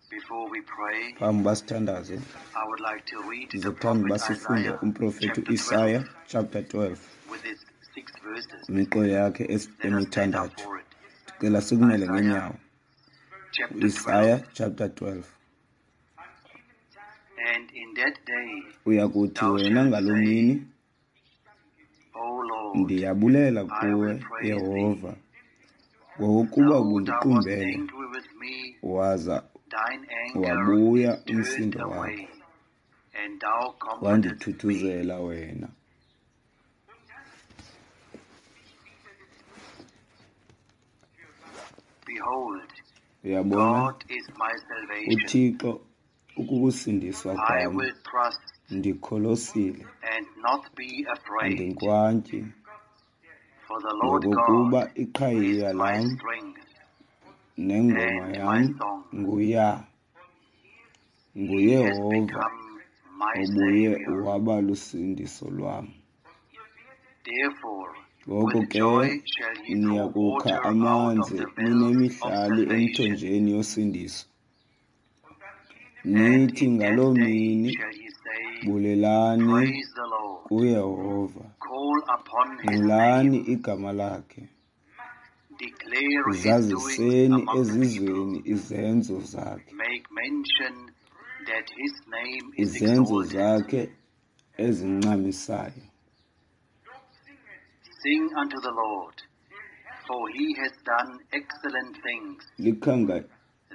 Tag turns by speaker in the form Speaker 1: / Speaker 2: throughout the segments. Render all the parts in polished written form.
Speaker 1: Before we pray,
Speaker 2: Phambi uba sithandaze,
Speaker 1: I would like to read the
Speaker 2: ndizothanda uba
Speaker 1: prophet
Speaker 2: sifunde
Speaker 1: Isaiah
Speaker 2: umprofethi
Speaker 1: chapter 12
Speaker 2: uIsaya chapter 12
Speaker 1: with its 6 verses.
Speaker 2: imiqolo yakhe
Speaker 1: Let us stand up
Speaker 2: emithandathu.
Speaker 1: for it.
Speaker 2: Ndicela sikumele
Speaker 1: Isaiah
Speaker 2: ngeenyawo.
Speaker 1: chapter
Speaker 2: uIsaya
Speaker 1: 12.
Speaker 2: chapter 12.
Speaker 1: And in that day
Speaker 2: Uya kuthi
Speaker 1: thou
Speaker 2: wena
Speaker 1: shalt
Speaker 2: ngaloo
Speaker 1: say,
Speaker 2: mini,
Speaker 1: O Lord,
Speaker 2: ndiyabulela
Speaker 1: I
Speaker 2: kuwe
Speaker 1: will praise thee.
Speaker 2: Yehova, ngokuba
Speaker 1: Though thou wast
Speaker 2: ubundiqumbele
Speaker 1: angry with me,
Speaker 2: waza
Speaker 1: thine anger
Speaker 2: wabuya
Speaker 1: is turned
Speaker 2: umsindo wakho,
Speaker 1: away, and thou comfortest me.
Speaker 2: wandithuthuzela wena.
Speaker 1: Behold,
Speaker 2: Uyabona,
Speaker 1: God is my salvation.
Speaker 2: uThixo ukukusindiswa
Speaker 1: I
Speaker 2: kwam,
Speaker 1: will trust
Speaker 2: ndikholosile,
Speaker 1: and not be afraid,
Speaker 2: andinkwantyi,
Speaker 1: for the Lord
Speaker 2: ngokokuba
Speaker 1: God is
Speaker 2: iqhayiya
Speaker 1: my
Speaker 2: lam
Speaker 1: strength
Speaker 2: nengoma
Speaker 1: and my
Speaker 2: yam
Speaker 1: song.
Speaker 2: nguYa,
Speaker 1: He has
Speaker 2: nguYehova
Speaker 1: become my
Speaker 2: obuye
Speaker 1: Savior.
Speaker 2: waba lusindiso lwam.
Speaker 1: Therefore,
Speaker 2: Ngoko
Speaker 1: with
Speaker 2: ke
Speaker 1: joy shall ye
Speaker 2: niya
Speaker 1: draw
Speaker 2: kukha
Speaker 1: water out of
Speaker 2: amanzi
Speaker 1: the wells of
Speaker 2: ninemihlali
Speaker 1: salvation.
Speaker 2: emthonjeni yosindiso.
Speaker 1: And
Speaker 2: Nithi
Speaker 1: in that
Speaker 2: ngaloo
Speaker 1: day
Speaker 2: mini,
Speaker 1: shall ye say,
Speaker 2: Bulelani
Speaker 1: Praise the Lord,
Speaker 2: kuYehova,
Speaker 1: call upon his
Speaker 2: nqulani
Speaker 1: name,
Speaker 2: igama lakhe,
Speaker 1: declare his doings
Speaker 2: zaziseni
Speaker 1: among the people,
Speaker 2: ezizweni izenzo zakhe,
Speaker 1: make mention that his name is
Speaker 2: izenzo
Speaker 1: exalted.
Speaker 2: zakhe ezincamisayo.
Speaker 1: Sing unto the Lord, for he has done excellent things.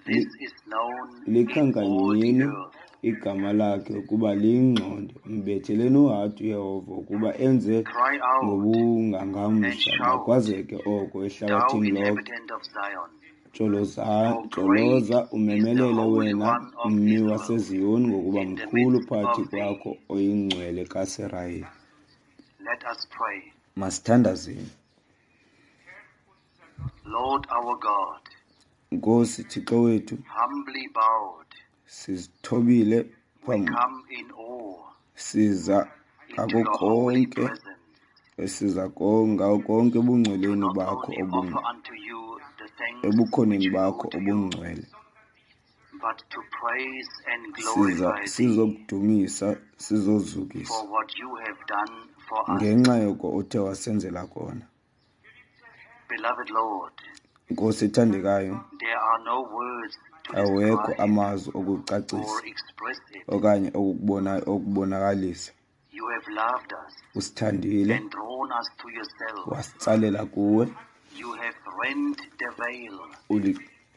Speaker 1: This is known in all the
Speaker 2: Likhankanyeni
Speaker 1: earth.
Speaker 2: igama lakhe ukuba liyingxonde, mbetheleni uhadi uYehova ukuba enze
Speaker 1: Cry out and
Speaker 2: ngobungangamsha,
Speaker 1: shout,
Speaker 2: makwazeke oko
Speaker 1: thou
Speaker 2: ehlabathini lonke.
Speaker 1: inhabitant of Zion. For great
Speaker 2: Joloza
Speaker 1: is the
Speaker 2: umemelele
Speaker 1: Holy
Speaker 2: wena
Speaker 1: One of
Speaker 2: mmi
Speaker 1: Israel
Speaker 2: waseZiyoni, ngokuba
Speaker 1: in the
Speaker 2: mkhulu
Speaker 1: midst
Speaker 2: phakathi
Speaker 1: of thee.
Speaker 2: kwakho oyiNgcwele kaSirayeli.
Speaker 1: Let us pray.
Speaker 2: Masithandazeni.
Speaker 1: Lord our God,
Speaker 2: Nkosi Thixo wethu,
Speaker 1: humbly bowed,
Speaker 2: sizithobile
Speaker 1: we
Speaker 2: phambi,
Speaker 1: come in awe
Speaker 2: siza
Speaker 1: into
Speaker 2: ngako
Speaker 1: your holy
Speaker 2: konke,
Speaker 1: presence
Speaker 2: siza ngako konke
Speaker 1: to
Speaker 2: ebungcweleni
Speaker 1: not
Speaker 2: bakho
Speaker 1: only offer unto you the thanks which
Speaker 2: ebukhoneni
Speaker 1: we
Speaker 2: bakho
Speaker 1: owe to you,
Speaker 2: obungcwele.
Speaker 1: but to praise and
Speaker 2: Siza
Speaker 1: glorify thee
Speaker 2: sizokudumisa, sizozukisa
Speaker 1: for what you have done for us.
Speaker 2: ngenxa yoko othe wasenzela kona.
Speaker 1: Beloved Lord,
Speaker 2: Nkosi ethandekayo,
Speaker 1: there are no words to
Speaker 2: awekho
Speaker 1: describe
Speaker 2: amazwi okucacisa
Speaker 1: or express it.
Speaker 2: okanye okubonakalisa.
Speaker 1: You have loved us
Speaker 2: Usithandile,
Speaker 1: and drawn us to yourself.
Speaker 2: wasitsalela kuwe,
Speaker 1: You have rent the veil.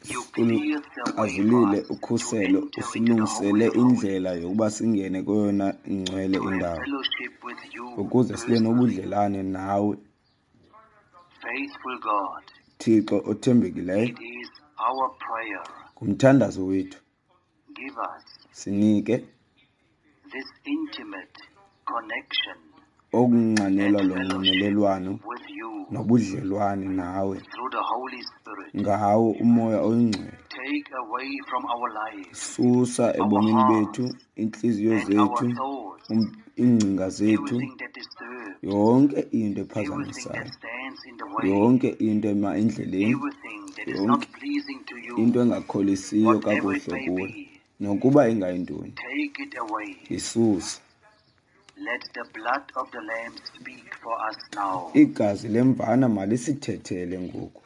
Speaker 1: You cleared the way for
Speaker 2: uluxazulile
Speaker 1: us to
Speaker 2: ukhuselo,
Speaker 1: enter into the Holy
Speaker 2: usilungisele
Speaker 1: of Holies,
Speaker 2: indlela yokuba singene kweyona ngcwele
Speaker 1: to have
Speaker 2: indawo,
Speaker 1: fellowship with you
Speaker 2: ukuze sibe
Speaker 1: personally.
Speaker 2: nobudlelane nawe.
Speaker 1: Faithful God,
Speaker 2: Thixo othembekileyo,
Speaker 1: it is our prayer.
Speaker 2: ngumthandazo wethu,
Speaker 1: Give us
Speaker 2: sinike
Speaker 1: this intimate connection
Speaker 2: okunxanelwa
Speaker 1: and
Speaker 2: lo
Speaker 1: fellowship
Speaker 2: nxibelelwano
Speaker 1: with you
Speaker 2: nobudlelwane nawe
Speaker 1: through the Holy Spirit.
Speaker 2: ngawo uMoya oyiNgcwele.
Speaker 1: Take away from our lives,
Speaker 2: Susa
Speaker 1: our
Speaker 2: ebomini bethu,
Speaker 1: hearts,
Speaker 2: iintliziyo
Speaker 1: and our
Speaker 2: zethu,
Speaker 1: thoughts,
Speaker 2: iingcinga zethu,
Speaker 1: everything that disturbs,
Speaker 2: yonke into
Speaker 1: everything that
Speaker 2: ephazamisayo,
Speaker 1: stands in the way,
Speaker 2: yonke into ema endleleni,
Speaker 1: everything that is not
Speaker 2: yonke
Speaker 1: pleasing to you,
Speaker 2: into engakholisiyo
Speaker 1: whatever it
Speaker 2: kakuhle
Speaker 1: may
Speaker 2: kuwe,
Speaker 1: be,
Speaker 2: nokuba ingayintoni,
Speaker 1: take it away.
Speaker 2: isuse.
Speaker 1: Let the blood of the Lamb speak for us now.
Speaker 2: Igazi lemvana malisithethele ngoku,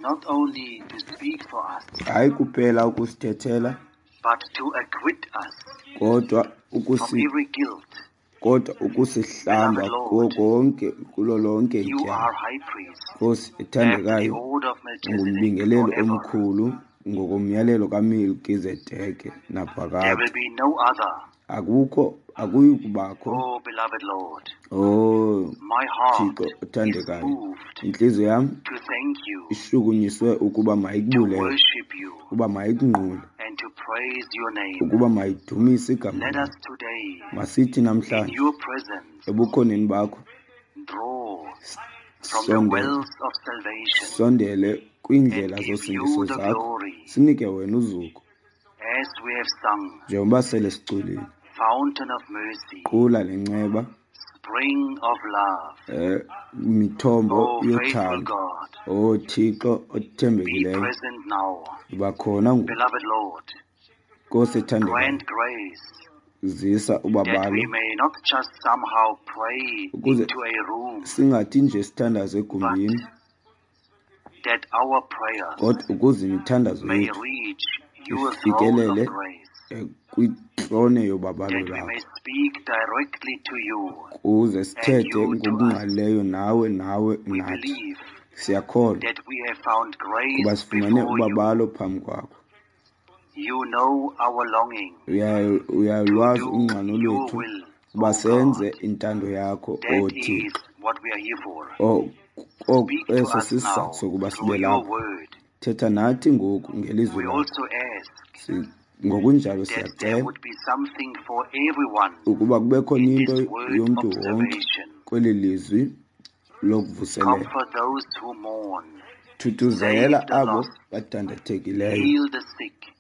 Speaker 1: Not only to speak for us,
Speaker 2: hayi kuphela ukusithethela,
Speaker 1: but to acquit us
Speaker 2: kodwa
Speaker 1: from
Speaker 2: ukusi
Speaker 1: every guilt.
Speaker 2: kodwa ukusihlamba
Speaker 1: Beloved
Speaker 2: kuwo
Speaker 1: Lord,
Speaker 2: konke kulo lonke
Speaker 1: you
Speaker 2: ityala.
Speaker 1: are high priest
Speaker 2: Nkosi
Speaker 1: after the
Speaker 2: ethandekayo,
Speaker 1: order of Melchizedek
Speaker 2: ungumbingeleli
Speaker 1: forever.
Speaker 2: omkhulu ngokomyalelo kaMelkizedeke
Speaker 1: There
Speaker 2: naphakade.
Speaker 1: will be no other.
Speaker 2: Akukho, akuyi kubakho.
Speaker 1: Oh, beloved Lord,
Speaker 2: Oh
Speaker 1: my heart
Speaker 2: Thixo
Speaker 1: is
Speaker 2: othandekayo,
Speaker 1: moved
Speaker 2: intliziyo yam
Speaker 1: to thank you,
Speaker 2: ishukunyiswe ukuba
Speaker 1: to
Speaker 2: mayikubulele,
Speaker 1: worship you,
Speaker 2: ukuba mayikunqule,
Speaker 1: and to praise your name.
Speaker 2: ukuba mayidumise igama
Speaker 1: Let us
Speaker 2: lakho.
Speaker 1: today,
Speaker 2: Masithi
Speaker 1: in
Speaker 2: namhlanje
Speaker 1: your presence,
Speaker 2: ebukhoneni bakho
Speaker 1: draw from the
Speaker 2: sondele,
Speaker 1: wells of salvation
Speaker 2: sondele
Speaker 1: and
Speaker 2: kwiindlela
Speaker 1: give you
Speaker 2: zosindiso
Speaker 1: the
Speaker 2: zakho,
Speaker 1: glory
Speaker 2: sinike wena uzuko
Speaker 1: as we have sung,
Speaker 2: njengoba sele siculile.
Speaker 1: Fountain of mercy,
Speaker 2: Qula lenceba,
Speaker 1: spring of love.
Speaker 2: Mithombo
Speaker 1: Oh, faithful
Speaker 2: yothando.
Speaker 1: God,
Speaker 2: Oh Thixo
Speaker 1: be
Speaker 2: othembekileyo,
Speaker 1: present now.
Speaker 2: yiba khona ngoku.
Speaker 1: Beloved Lord,
Speaker 2: Nkosi ethandekayo,
Speaker 1: grant grace
Speaker 2: zisa
Speaker 1: that
Speaker 2: ubabalo
Speaker 1: we may not just somehow pray
Speaker 2: ukuze
Speaker 1: into a room,
Speaker 2: singathi nje sithandaze egumbini,
Speaker 1: but that our prayers
Speaker 2: kodwa ukuze imithandazo
Speaker 1: may
Speaker 2: yethu
Speaker 1: reach your throne of
Speaker 2: ifikelele
Speaker 1: grace,
Speaker 2: kwitrone yobabalo
Speaker 1: that we
Speaker 2: lwakho,
Speaker 1: may speak directly to you
Speaker 2: ukuze
Speaker 1: and
Speaker 2: sithethe
Speaker 1: you to us.
Speaker 2: ngokungqalileyo nawe
Speaker 1: We
Speaker 2: nathi.
Speaker 1: believe
Speaker 2: Siyakholwa
Speaker 1: that we have found
Speaker 2: kuba
Speaker 1: grace
Speaker 2: sifumene
Speaker 1: before you.
Speaker 2: ubabalo phambi kwakho.
Speaker 1: You know our longing to
Speaker 2: Uyalwazi
Speaker 1: do
Speaker 2: unxano
Speaker 1: your
Speaker 2: lwethu
Speaker 1: will,
Speaker 2: uba
Speaker 1: O
Speaker 2: senze
Speaker 1: God.
Speaker 2: intando yakho,
Speaker 1: That
Speaker 2: O
Speaker 1: is
Speaker 2: Thixo.
Speaker 1: what we are here for. Speak to
Speaker 2: Eso
Speaker 1: us
Speaker 2: sisizathu
Speaker 1: now
Speaker 2: sokuba
Speaker 1: through
Speaker 2: sibe
Speaker 1: your
Speaker 2: lapha.
Speaker 1: word.
Speaker 2: Thetha nathi ngoku ngelizwi
Speaker 1: We
Speaker 2: lakho.
Speaker 1: also ask
Speaker 2: Ngokunjalo
Speaker 1: that there
Speaker 2: siyacela
Speaker 1: would be something for everyone
Speaker 2: ukuba kube khona
Speaker 1: in
Speaker 2: into
Speaker 1: this word
Speaker 2: yomntu wonke
Speaker 1: observation.
Speaker 2: kweli lizwi lokuvuselela.
Speaker 1: Comfort those who mourn.
Speaker 2: Thuthuzela
Speaker 1: Save the
Speaker 2: abo
Speaker 1: lost.
Speaker 2: badandathekileyo.
Speaker 1: Heal the sick.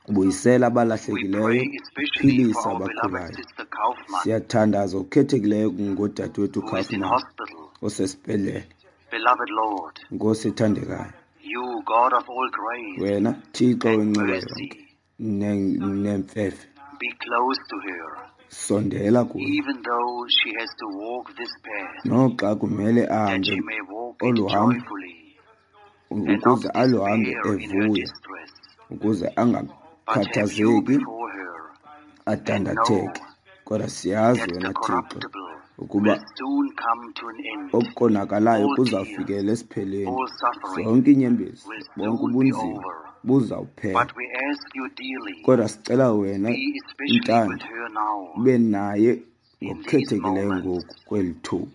Speaker 2: Buyisela
Speaker 1: We
Speaker 2: abalahlekileyo,
Speaker 1: pray especially for
Speaker 2: philisa
Speaker 1: our beloved
Speaker 2: abagulayo.
Speaker 1: sister Kaufman,
Speaker 2: Siyathandaza okukhethekileyo ngodadewethu
Speaker 1: who is in
Speaker 2: Kaufman
Speaker 1: hospital.
Speaker 2: osesibhedlele.
Speaker 1: Beloved Lord,
Speaker 2: Nkosi ethandekayo,
Speaker 1: you God of all grace
Speaker 2: wena Thixo
Speaker 1: and
Speaker 2: wenceba
Speaker 1: mercy,
Speaker 2: yonke nemfefe,
Speaker 1: be close to her,
Speaker 2: sondela kuye,
Speaker 1: even though she has to walk this path,
Speaker 2: noxa kumele
Speaker 1: that
Speaker 2: ahambe
Speaker 1: she may walk it
Speaker 2: olu hambo,
Speaker 1: joyfully and not
Speaker 2: ukuze aluhambe
Speaker 1: despair in her
Speaker 2: evuya,
Speaker 1: distress.
Speaker 2: ukuze
Speaker 1: But have you
Speaker 2: angakhathazeki
Speaker 1: before her and know
Speaker 2: adandatheke. Kodwa siyazi
Speaker 1: that the
Speaker 2: wena Thixo
Speaker 1: corruptible
Speaker 2: ukuba
Speaker 1: will soon come to an end.
Speaker 2: okukonakalayo
Speaker 1: All tears,
Speaker 2: kuzawufikela esiphelweni.
Speaker 1: all suffering
Speaker 2: Zonke iinyembezi,
Speaker 1: will
Speaker 2: bonke
Speaker 1: soon be
Speaker 2: ubunzima
Speaker 1: over.
Speaker 2: buzawuphela.
Speaker 1: But we ask you dearly,
Speaker 2: Kodwa sicela wena
Speaker 1: be especially with
Speaker 2: Ntando
Speaker 1: her now
Speaker 2: ube naye
Speaker 1: in these
Speaker 2: ngokukhethekileyo
Speaker 1: moments
Speaker 2: ngoku kweli thuba,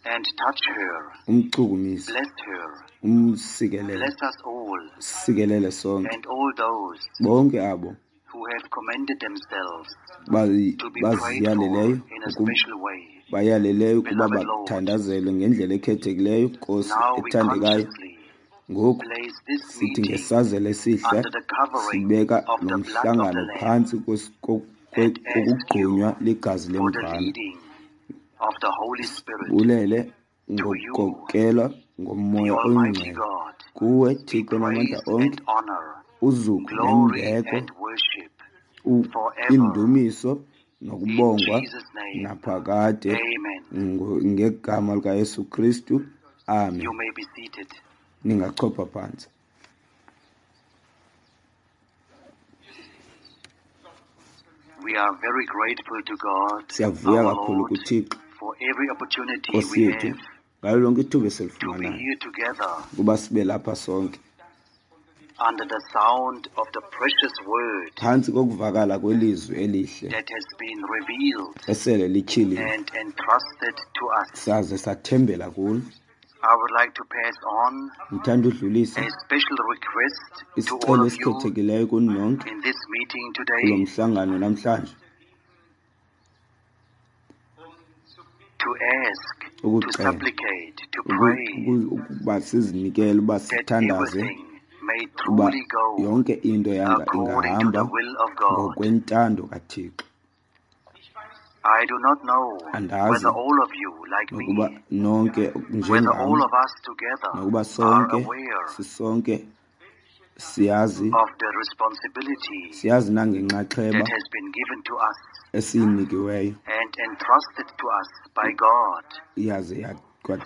Speaker 1: and touch her,
Speaker 2: umchukumise,
Speaker 1: bless her,
Speaker 2: umsikelele,
Speaker 1: bless us all
Speaker 2: sikelele sonke,
Speaker 1: and all those
Speaker 2: bonke abo
Speaker 1: who have commended themselves to be prayed for
Speaker 2: baziyaleleyo
Speaker 1: in a special way.
Speaker 2: bayaleleyo ukuba
Speaker 1: Beloved Lord,
Speaker 2: bathandazelwe ngendlela ekhethekileyo. Nkosi
Speaker 1: now we
Speaker 2: ethandekayo,
Speaker 1: consciously
Speaker 2: ngoku
Speaker 1: place this
Speaker 2: sithi
Speaker 1: meeting
Speaker 2: ngesazela esihle
Speaker 1: under the covering
Speaker 2: sibeka
Speaker 1: of
Speaker 2: lo
Speaker 1: the blood of the
Speaker 2: mhlangano
Speaker 1: Lamb
Speaker 2: phantsi
Speaker 1: and ask you
Speaker 2: kokugqunywa ligazi
Speaker 1: for the
Speaker 2: lemvana.
Speaker 1: leading of the Holy Spirit
Speaker 2: Bulele
Speaker 1: to you,
Speaker 2: ngokukhokela
Speaker 1: the
Speaker 2: ngoMoya
Speaker 1: Almighty
Speaker 2: oyiNgcwele.
Speaker 1: God,
Speaker 2: Kuwe
Speaker 1: be
Speaker 2: Thixo namandla
Speaker 1: praise
Speaker 2: onke,
Speaker 1: and honor,
Speaker 2: uzuko
Speaker 1: glory
Speaker 2: nembeko,
Speaker 1: and worship forever.
Speaker 2: indumiso
Speaker 1: In
Speaker 2: nokubongwa
Speaker 1: Jesus' name,
Speaker 2: naphakade
Speaker 1: amen.
Speaker 2: ngegama likaYesu Kristu. Amen.
Speaker 1: You may be seated.
Speaker 2: Ningachopha phantsi.
Speaker 1: We are very grateful to God,
Speaker 2: Siyavuya
Speaker 1: our
Speaker 2: kakhulu
Speaker 1: Lord,
Speaker 2: kuThixo
Speaker 1: for every opportunity
Speaker 2: Nkosi
Speaker 1: we
Speaker 2: yethu
Speaker 1: have
Speaker 2: ngalo lonke ithuba
Speaker 1: to be
Speaker 2: esilifumanayo
Speaker 1: here together
Speaker 2: ukuba sibe lapha sonke
Speaker 1: under the sound of the precious word
Speaker 2: phantsi kokuvakala kwelizwi elihle
Speaker 1: that has been revealed
Speaker 2: esele lityhiliwe
Speaker 1: and entrusted to us.
Speaker 2: saze sathembela kulo.
Speaker 1: I would like to pass on
Speaker 2: Ndithanda udlulisa
Speaker 1: a special request to all
Speaker 2: isicelo
Speaker 1: of you
Speaker 2: esikhethekileyo kuni nonke
Speaker 1: in this meeting
Speaker 2: kulo
Speaker 1: today
Speaker 2: mhlangano namhlanje
Speaker 1: to ask, to
Speaker 2: ukucela
Speaker 1: supplicate, to pray
Speaker 2: ukuba sizinikele uba
Speaker 1: that
Speaker 2: sithandaze
Speaker 1: everything may
Speaker 2: uba
Speaker 1: truly go
Speaker 2: yonke into yanga
Speaker 1: according to the
Speaker 2: ingahamba
Speaker 1: will of God.
Speaker 2: ngokwentando kaThixo.
Speaker 1: I do not know
Speaker 2: Andazi
Speaker 1: whether all of you, like
Speaker 2: nokuba
Speaker 1: me,
Speaker 2: nonke
Speaker 1: whether
Speaker 2: njengam,
Speaker 1: all of us together
Speaker 2: nokuba
Speaker 1: are
Speaker 2: sonke
Speaker 1: aware
Speaker 2: sisonke siyazi
Speaker 1: of the responsibility
Speaker 2: siyazi nangenxaxheba
Speaker 1: that has been given to us
Speaker 2: esiyinikiweyo
Speaker 1: and entrusted to us by God
Speaker 2: yaze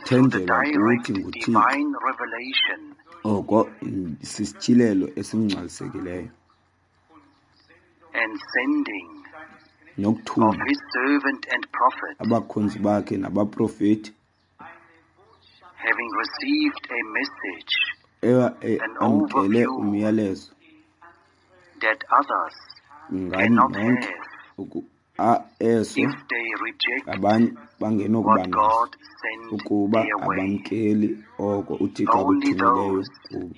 Speaker 1: through the
Speaker 2: kwathenjelwa kuthi
Speaker 1: direct
Speaker 2: nguThixo.
Speaker 1: divine revelation
Speaker 2: Oko sisityhilelo esingcwalisekileyo
Speaker 1: and sending of
Speaker 2: nokuthuma
Speaker 1: his servant and prophet,
Speaker 2: abakhonzi bakhe nabaprofeti
Speaker 1: having received a message, an
Speaker 2: amkele
Speaker 1: overview
Speaker 2: umyalezo
Speaker 1: that others
Speaker 2: ngani
Speaker 1: cannot
Speaker 2: nonke
Speaker 1: have
Speaker 2: eso
Speaker 1: if they reject
Speaker 2: abanye bangenokuba
Speaker 1: what
Speaker 2: naso
Speaker 1: God sent
Speaker 2: ukuba
Speaker 1: their way.
Speaker 2: abamkeli oko uThixo
Speaker 1: Only
Speaker 2: akuthumileyo
Speaker 1: those
Speaker 2: kubo.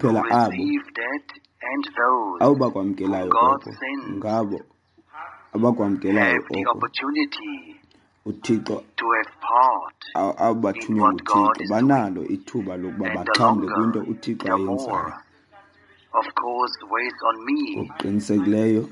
Speaker 1: who
Speaker 2: Kuphela abo
Speaker 1: receive that and those
Speaker 2: abo
Speaker 1: whom
Speaker 2: bakwamkelayo
Speaker 1: God
Speaker 2: oko
Speaker 1: sends
Speaker 2: ngabo abakwamkelayo
Speaker 1: have the
Speaker 2: oko
Speaker 1: opportunity
Speaker 2: uThixo
Speaker 1: to have part
Speaker 2: abo
Speaker 1: in
Speaker 2: bathunywe
Speaker 1: what God
Speaker 2: nguThixo
Speaker 1: is doing.
Speaker 2: banalo ithuba lokuba
Speaker 1: And the
Speaker 2: baxhamle
Speaker 1: longer,
Speaker 2: kwinto uThixo
Speaker 1: the
Speaker 2: ayenzayo.
Speaker 1: more, of course, weighs on me
Speaker 2: Ngokuqinisekileyo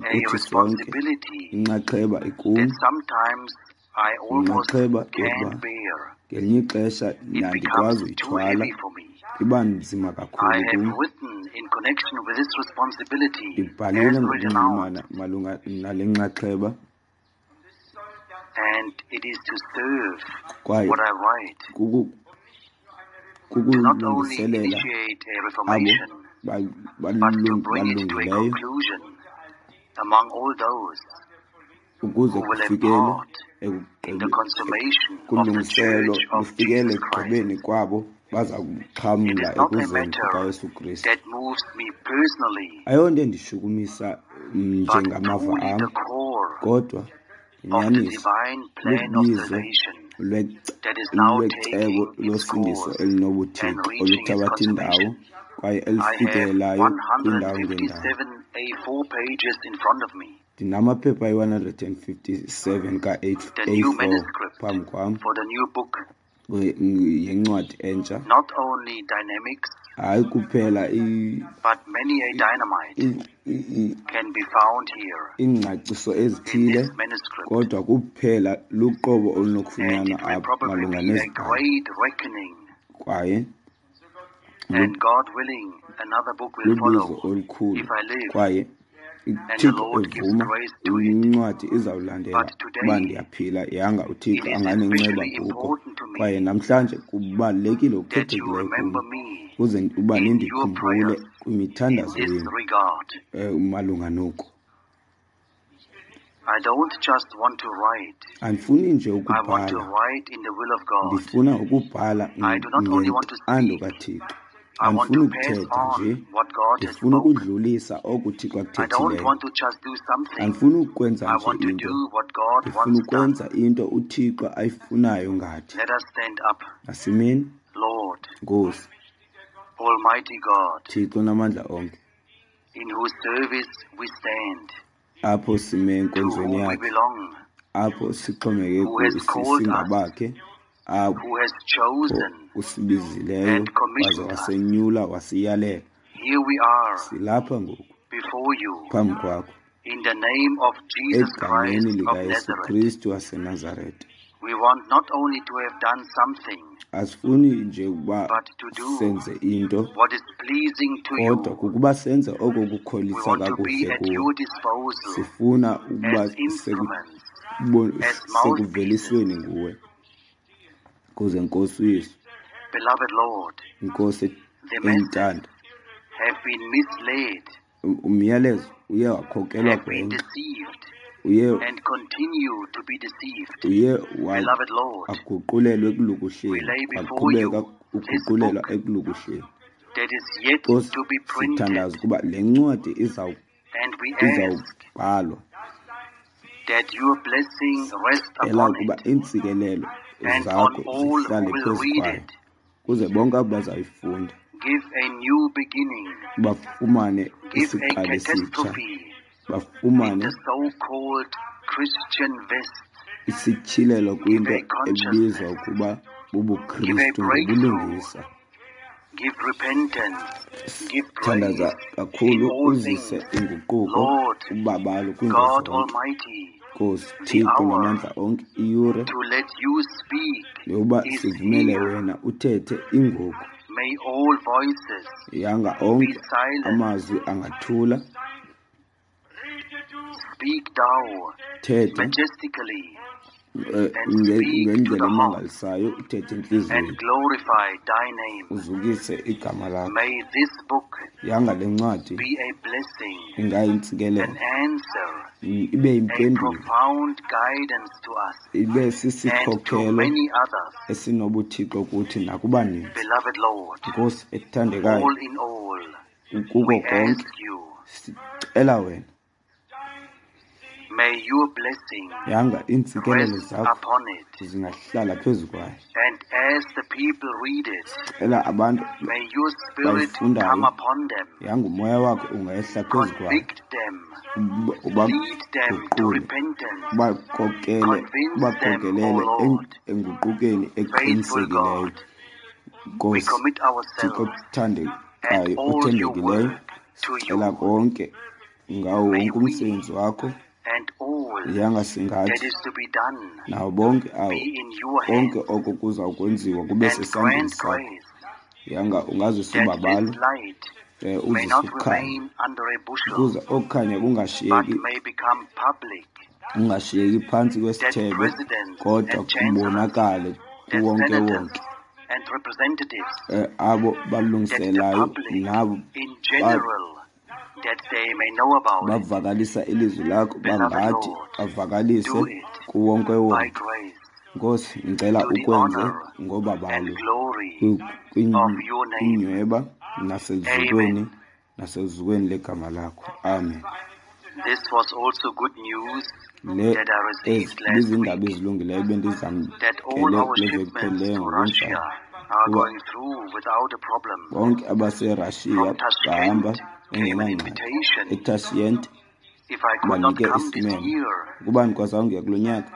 Speaker 1: a
Speaker 2: ikuthi sonke
Speaker 1: responsibility
Speaker 2: inxaxheba ikum,
Speaker 1: that sometimes I almost
Speaker 2: inxaxheba yokuba
Speaker 1: can't bear.
Speaker 2: ngelinye ixesha
Speaker 1: It
Speaker 2: andikwazi
Speaker 1: becomes too
Speaker 2: uyithwala,
Speaker 1: heavy for me.
Speaker 2: iba nzima
Speaker 1: I
Speaker 2: kakhulu
Speaker 1: have
Speaker 2: kum.
Speaker 1: written in connection with this responsibility
Speaker 2: Ndibhalile
Speaker 1: as written out,
Speaker 2: ngokunxulumana malunga nale nxaxheba
Speaker 1: and it is to serve
Speaker 2: kwaye
Speaker 1: what I write, to not only
Speaker 2: kukulungiselela
Speaker 1: initiate a
Speaker 2: abo
Speaker 1: reformation, but to bring it to a
Speaker 2: balungileyo
Speaker 1: conclusion among all those
Speaker 2: ukuze
Speaker 1: who will have
Speaker 2: kufikele
Speaker 1: part in the consummation of the
Speaker 2: kulungiselo
Speaker 1: Church of
Speaker 2: lufikele
Speaker 1: Jesus Christ.
Speaker 2: ekugqibeni kwabo baza
Speaker 1: It is
Speaker 2: kuxhamla
Speaker 1: not a
Speaker 2: ekuzeni
Speaker 1: matter
Speaker 2: kukaYesu Kristu.
Speaker 1: that moves me personally,
Speaker 2: Ayonto endishukumisa
Speaker 1: but
Speaker 2: njengamava
Speaker 1: truly
Speaker 2: am,
Speaker 1: the core
Speaker 2: kodwa
Speaker 1: of the
Speaker 2: inyaniso
Speaker 1: divine plan of
Speaker 2: lubizo
Speaker 1: salvation that is now
Speaker 2: lwecebo
Speaker 1: taking its
Speaker 2: losindiso
Speaker 1: course and
Speaker 2: elinobuthixo
Speaker 1: reaching its
Speaker 2: oluthabatha indawo
Speaker 1: consummation.
Speaker 2: kwaye
Speaker 1: I have
Speaker 2: elifikelelayo kwindawo ngendawo.
Speaker 1: 157 A4 pages in front of me,
Speaker 2: Ndinamaphepha ayi-157
Speaker 1: the new
Speaker 2: ka-A4
Speaker 1: manuscript
Speaker 2: phambi kwam
Speaker 1: for the new book,
Speaker 2: yencwadi entsha.
Speaker 1: not only dynamics,
Speaker 2: Hayi kuphela
Speaker 1: but many a dynamite can be found here
Speaker 2: iingcaciso
Speaker 1: in
Speaker 2: ezithile,
Speaker 1: this manuscript,
Speaker 2: kodwa kuphela luqobo
Speaker 1: and
Speaker 2: olunokufunyanwa
Speaker 1: it will
Speaker 2: apha
Speaker 1: probably
Speaker 2: malunga
Speaker 1: be a
Speaker 2: nezibhalo.
Speaker 1: great reckoning.
Speaker 2: Kwaye
Speaker 1: And God willing, another book will
Speaker 2: lubizo
Speaker 1: follow
Speaker 2: olukhulu
Speaker 1: if I live
Speaker 2: kwaye
Speaker 1: and the
Speaker 2: uThixo
Speaker 1: Lord gives
Speaker 2: evuma
Speaker 1: grace to it.
Speaker 2: incwadi izawulandela
Speaker 1: But
Speaker 2: uba
Speaker 1: today,
Speaker 2: ndiyaphila yanga
Speaker 1: it
Speaker 2: uThixo
Speaker 1: is
Speaker 2: anganenceba
Speaker 1: especially
Speaker 2: kuko.
Speaker 1: important to
Speaker 2: Kwaye
Speaker 1: me
Speaker 2: namhlanje kubalulekile
Speaker 1: that you
Speaker 2: okukhethekileyo kum
Speaker 1: remember me
Speaker 2: ukuze uba
Speaker 1: in your
Speaker 2: nindikhumbule
Speaker 1: prayers in
Speaker 2: kwimithandazo
Speaker 1: this
Speaker 2: yenu
Speaker 1: regard.
Speaker 2: Malunga noku.
Speaker 1: I don't just want to write.
Speaker 2: Andifuni nje
Speaker 1: I want to
Speaker 2: ukubhala,
Speaker 1: write in the will of God.
Speaker 2: ndifuna ukubhala
Speaker 1: I do not only want to
Speaker 2: ngentando
Speaker 1: speak.
Speaker 2: kaThixo.
Speaker 1: I want
Speaker 2: Andifuni
Speaker 1: to pass
Speaker 2: ukuthetha nje,
Speaker 1: on what God has
Speaker 2: ndifuna
Speaker 1: spoken.
Speaker 2: ukudlulisa oko uThixo
Speaker 1: I don't
Speaker 2: akuthethileyo.
Speaker 1: want to just do something.
Speaker 2: Andifuni ukwenza
Speaker 1: I
Speaker 2: nje
Speaker 1: want to
Speaker 2: into,
Speaker 1: do what God
Speaker 2: ndifuna
Speaker 1: wants done.
Speaker 2: ukwenza into uThixo ayifunayo ngathi.
Speaker 1: Let us stand up,
Speaker 2: Asimeni,
Speaker 1: Lord,
Speaker 2: Nkosi,
Speaker 1: Almighty God,
Speaker 2: Thixo namandla onke,
Speaker 1: in whose service we stand,
Speaker 2: apho sime
Speaker 1: to
Speaker 2: enkonzweni
Speaker 1: whom we
Speaker 2: yakhe,
Speaker 1: belong,
Speaker 2: apho sixhomekeke
Speaker 1: who has called us,
Speaker 2: singabakhe, apho
Speaker 1: who has chosen
Speaker 2: usibizileyo
Speaker 1: and
Speaker 2: waze
Speaker 1: commissioned us.
Speaker 2: wasenyula wasiyalela.
Speaker 1: Here we are
Speaker 2: Silapha ngoku
Speaker 1: before you
Speaker 2: phambi kwakho
Speaker 1: in the name of Jesus
Speaker 2: egameni
Speaker 1: Christ of
Speaker 2: likaYesu
Speaker 1: Nazareth.
Speaker 2: Kristu waseNazarete.
Speaker 1: We want not only to have done something,
Speaker 2: Asifuni nje ukuba
Speaker 1: but to do
Speaker 2: senze into,
Speaker 1: what is pleasing to
Speaker 2: kodwa
Speaker 1: you.
Speaker 2: kukuba senze oko
Speaker 1: We
Speaker 2: kukholisa
Speaker 1: want to be
Speaker 2: kakuhle
Speaker 1: at
Speaker 2: kuwe.
Speaker 1: your disposal
Speaker 2: Sifuna ukuba
Speaker 1: as instruments, as mouthpieces.
Speaker 2: sekuvelisweni nguwe kuze Nkosi uYesu,
Speaker 1: Beloved Lord,
Speaker 2: Nkosi
Speaker 1: the masses
Speaker 2: entanda,
Speaker 1: have been misled,
Speaker 2: umyalezo uye wakhokelwa
Speaker 1: have been
Speaker 2: gwenxa,
Speaker 1: deceived,
Speaker 2: uye
Speaker 1: and continue to be deceived.
Speaker 2: uye
Speaker 1: Beloved Lord,
Speaker 2: aguqulelwe
Speaker 1: we
Speaker 2: ekulukuhleni,
Speaker 1: lay before
Speaker 2: waqhubeka
Speaker 1: you this
Speaker 2: uguqulelwa
Speaker 1: book
Speaker 2: ekulukuhleni.
Speaker 1: that is yet
Speaker 2: Nkosi,
Speaker 1: to be printed,
Speaker 2: sithandaza ukuba le ncwadi
Speaker 1: and we ask
Speaker 2: izawubhalwa,
Speaker 1: that your blessing rest
Speaker 2: cela
Speaker 1: upon
Speaker 2: ukuba
Speaker 1: it
Speaker 2: iintsikelelo
Speaker 1: and on
Speaker 2: zakho
Speaker 1: all who
Speaker 2: zihlale
Speaker 1: will
Speaker 2: phezu
Speaker 1: read
Speaker 2: kwayo,
Speaker 1: it.
Speaker 2: kuze bonke abo bazayifunda
Speaker 1: Give a new beginning,
Speaker 2: bafumane
Speaker 1: give a
Speaker 2: isiqalo esitsha,
Speaker 1: catastrophe in
Speaker 2: bafumane
Speaker 1: the so-called Christian West.
Speaker 2: isityhilelo
Speaker 1: Give
Speaker 2: kwinto
Speaker 1: a
Speaker 2: ebizwa
Speaker 1: consciousness,
Speaker 2: ukuba
Speaker 1: give a
Speaker 2: bubuKristu
Speaker 1: breakthrough,
Speaker 2: ngobulungisa.
Speaker 1: give repentance, give
Speaker 2: Thandaza
Speaker 1: grace in
Speaker 2: kakhulu
Speaker 1: all
Speaker 2: uzise
Speaker 1: things.
Speaker 2: inguquko
Speaker 1: Lord,
Speaker 2: ubabalo kwiinto
Speaker 1: God
Speaker 2: zonke.
Speaker 1: Almighty,
Speaker 2: Nkosi
Speaker 1: the
Speaker 2: Thixo
Speaker 1: hour
Speaker 2: namandla onke, iyure
Speaker 1: to let you speak
Speaker 2: yokuba
Speaker 1: is
Speaker 2: sivumele
Speaker 1: here.
Speaker 2: wena uthethe ingoku.
Speaker 1: May all voices
Speaker 2: Yanga
Speaker 1: be
Speaker 2: onke
Speaker 1: silent.
Speaker 2: amazwi angathula.
Speaker 1: Speak thou
Speaker 2: Thetha
Speaker 1: majestically and speak to
Speaker 2: ngendlela
Speaker 1: the hearts
Speaker 2: emangalisayo, uthethe
Speaker 1: and
Speaker 2: entliziyweni,
Speaker 1: glorify thy name.
Speaker 2: uzukise igama lakho.
Speaker 1: May this book
Speaker 2: Yanga le ncwadi
Speaker 1: be a blessing,
Speaker 2: ingayintsikelelo,
Speaker 1: an answer,
Speaker 2: ibe
Speaker 1: a
Speaker 2: yimpendulo,
Speaker 1: profound guidance to us
Speaker 2: ibe
Speaker 1: and to
Speaker 2: sisikhokelo
Speaker 1: many others.
Speaker 2: esinobuthixo kuthi nakubaninzi.
Speaker 1: Beloved Lord,
Speaker 2: Nkosi ethandekayo,
Speaker 1: all in all,
Speaker 2: kuko
Speaker 1: we
Speaker 2: konke
Speaker 1: ask you,
Speaker 2: sicela wena,
Speaker 1: may your blessing
Speaker 2: yanga iintsikelelo
Speaker 1: rest
Speaker 2: zakho
Speaker 1: upon it.
Speaker 2: zingahlala phezu kwayo.
Speaker 1: And as the people read it,
Speaker 2: Cela abantu
Speaker 1: may your spirit
Speaker 2: bayifundayo,
Speaker 1: come upon them,
Speaker 2: yanga umoya wakho ungehla phezu kwayo,
Speaker 1: convict them, lead them to
Speaker 2: ubaguqule,
Speaker 1: repentance,
Speaker 2: ubakhokelele
Speaker 1: convince them, O Lord,
Speaker 2: enguqukeni
Speaker 1: faithful
Speaker 2: eqinisekileyo.
Speaker 1: God. We
Speaker 2: Nkosi
Speaker 1: commit
Speaker 2: Thixo
Speaker 1: ourselves and
Speaker 2: othandekayo,
Speaker 1: all your
Speaker 2: othembekileyo,
Speaker 1: work to
Speaker 2: sicela
Speaker 1: you.
Speaker 2: konke ngawo
Speaker 1: May
Speaker 2: wonke
Speaker 1: we
Speaker 2: umsebenzi wakho,
Speaker 1: and all
Speaker 2: yanga
Speaker 1: that
Speaker 2: singathi
Speaker 1: is to be done
Speaker 2: nawo bonke awo
Speaker 1: be in your
Speaker 2: konke
Speaker 1: hands,
Speaker 2: oko kuza kwenziwa kube
Speaker 1: and
Speaker 2: sesandleni
Speaker 1: grant
Speaker 2: sakho.
Speaker 1: grace
Speaker 2: Yanga ungazisa
Speaker 1: that
Speaker 2: ubabalo
Speaker 1: this light may
Speaker 2: uzise
Speaker 1: not
Speaker 2: ukukhanya,
Speaker 1: remain under a bushel,
Speaker 2: ukuze okukhanya
Speaker 1: but
Speaker 2: kungashiyeki
Speaker 1: may become public,
Speaker 2: kungashiyeki phantsi
Speaker 1: that
Speaker 2: kwesithebe,
Speaker 1: presidents
Speaker 2: kodwa
Speaker 1: and chancellors,
Speaker 2: kubonakale
Speaker 1: that
Speaker 2: kuwonke
Speaker 1: senators
Speaker 2: wonke.
Speaker 1: and representatives,
Speaker 2: Abo
Speaker 1: that the
Speaker 2: balungiselayo
Speaker 1: public
Speaker 2: nabo
Speaker 1: in general, that they may know about it.
Speaker 2: bavakalisa ilizwi lakho,
Speaker 1: Beloved
Speaker 2: bangathi
Speaker 1: Lord,
Speaker 2: bavakalise
Speaker 1: do it
Speaker 2: kuwonke
Speaker 1: by
Speaker 2: wonke.
Speaker 1: grace
Speaker 2: Nkosi, ngicela
Speaker 1: to the
Speaker 2: ukwenze
Speaker 1: honor and
Speaker 2: ngobabalo
Speaker 1: glory of your name.
Speaker 2: kwinyweba nasezukweni,
Speaker 1: Amen.
Speaker 2: nasezukweni legama lakho. Amen.
Speaker 1: This was also good news
Speaker 2: Le
Speaker 1: that I received last
Speaker 2: bizindaba
Speaker 1: week,
Speaker 2: ezilungileyo
Speaker 1: that all
Speaker 2: bendizamkele
Speaker 1: our
Speaker 2: kule veki
Speaker 1: shipments
Speaker 2: iphelileyo
Speaker 1: to
Speaker 2: ngokunjalo,
Speaker 1: Russia are
Speaker 2: kuba
Speaker 1: going through without a problem.
Speaker 2: bonke abaserashiya
Speaker 1: From
Speaker 2: bahamba
Speaker 1: Tashkent came an
Speaker 2: bengenangxaki.
Speaker 1: invitation.
Speaker 2: ETashkent
Speaker 1: If I could not
Speaker 2: banike
Speaker 1: come this
Speaker 2: isimemo.
Speaker 1: year,
Speaker 2: Ukuba ndikwazanga ukuya kulo nyaka,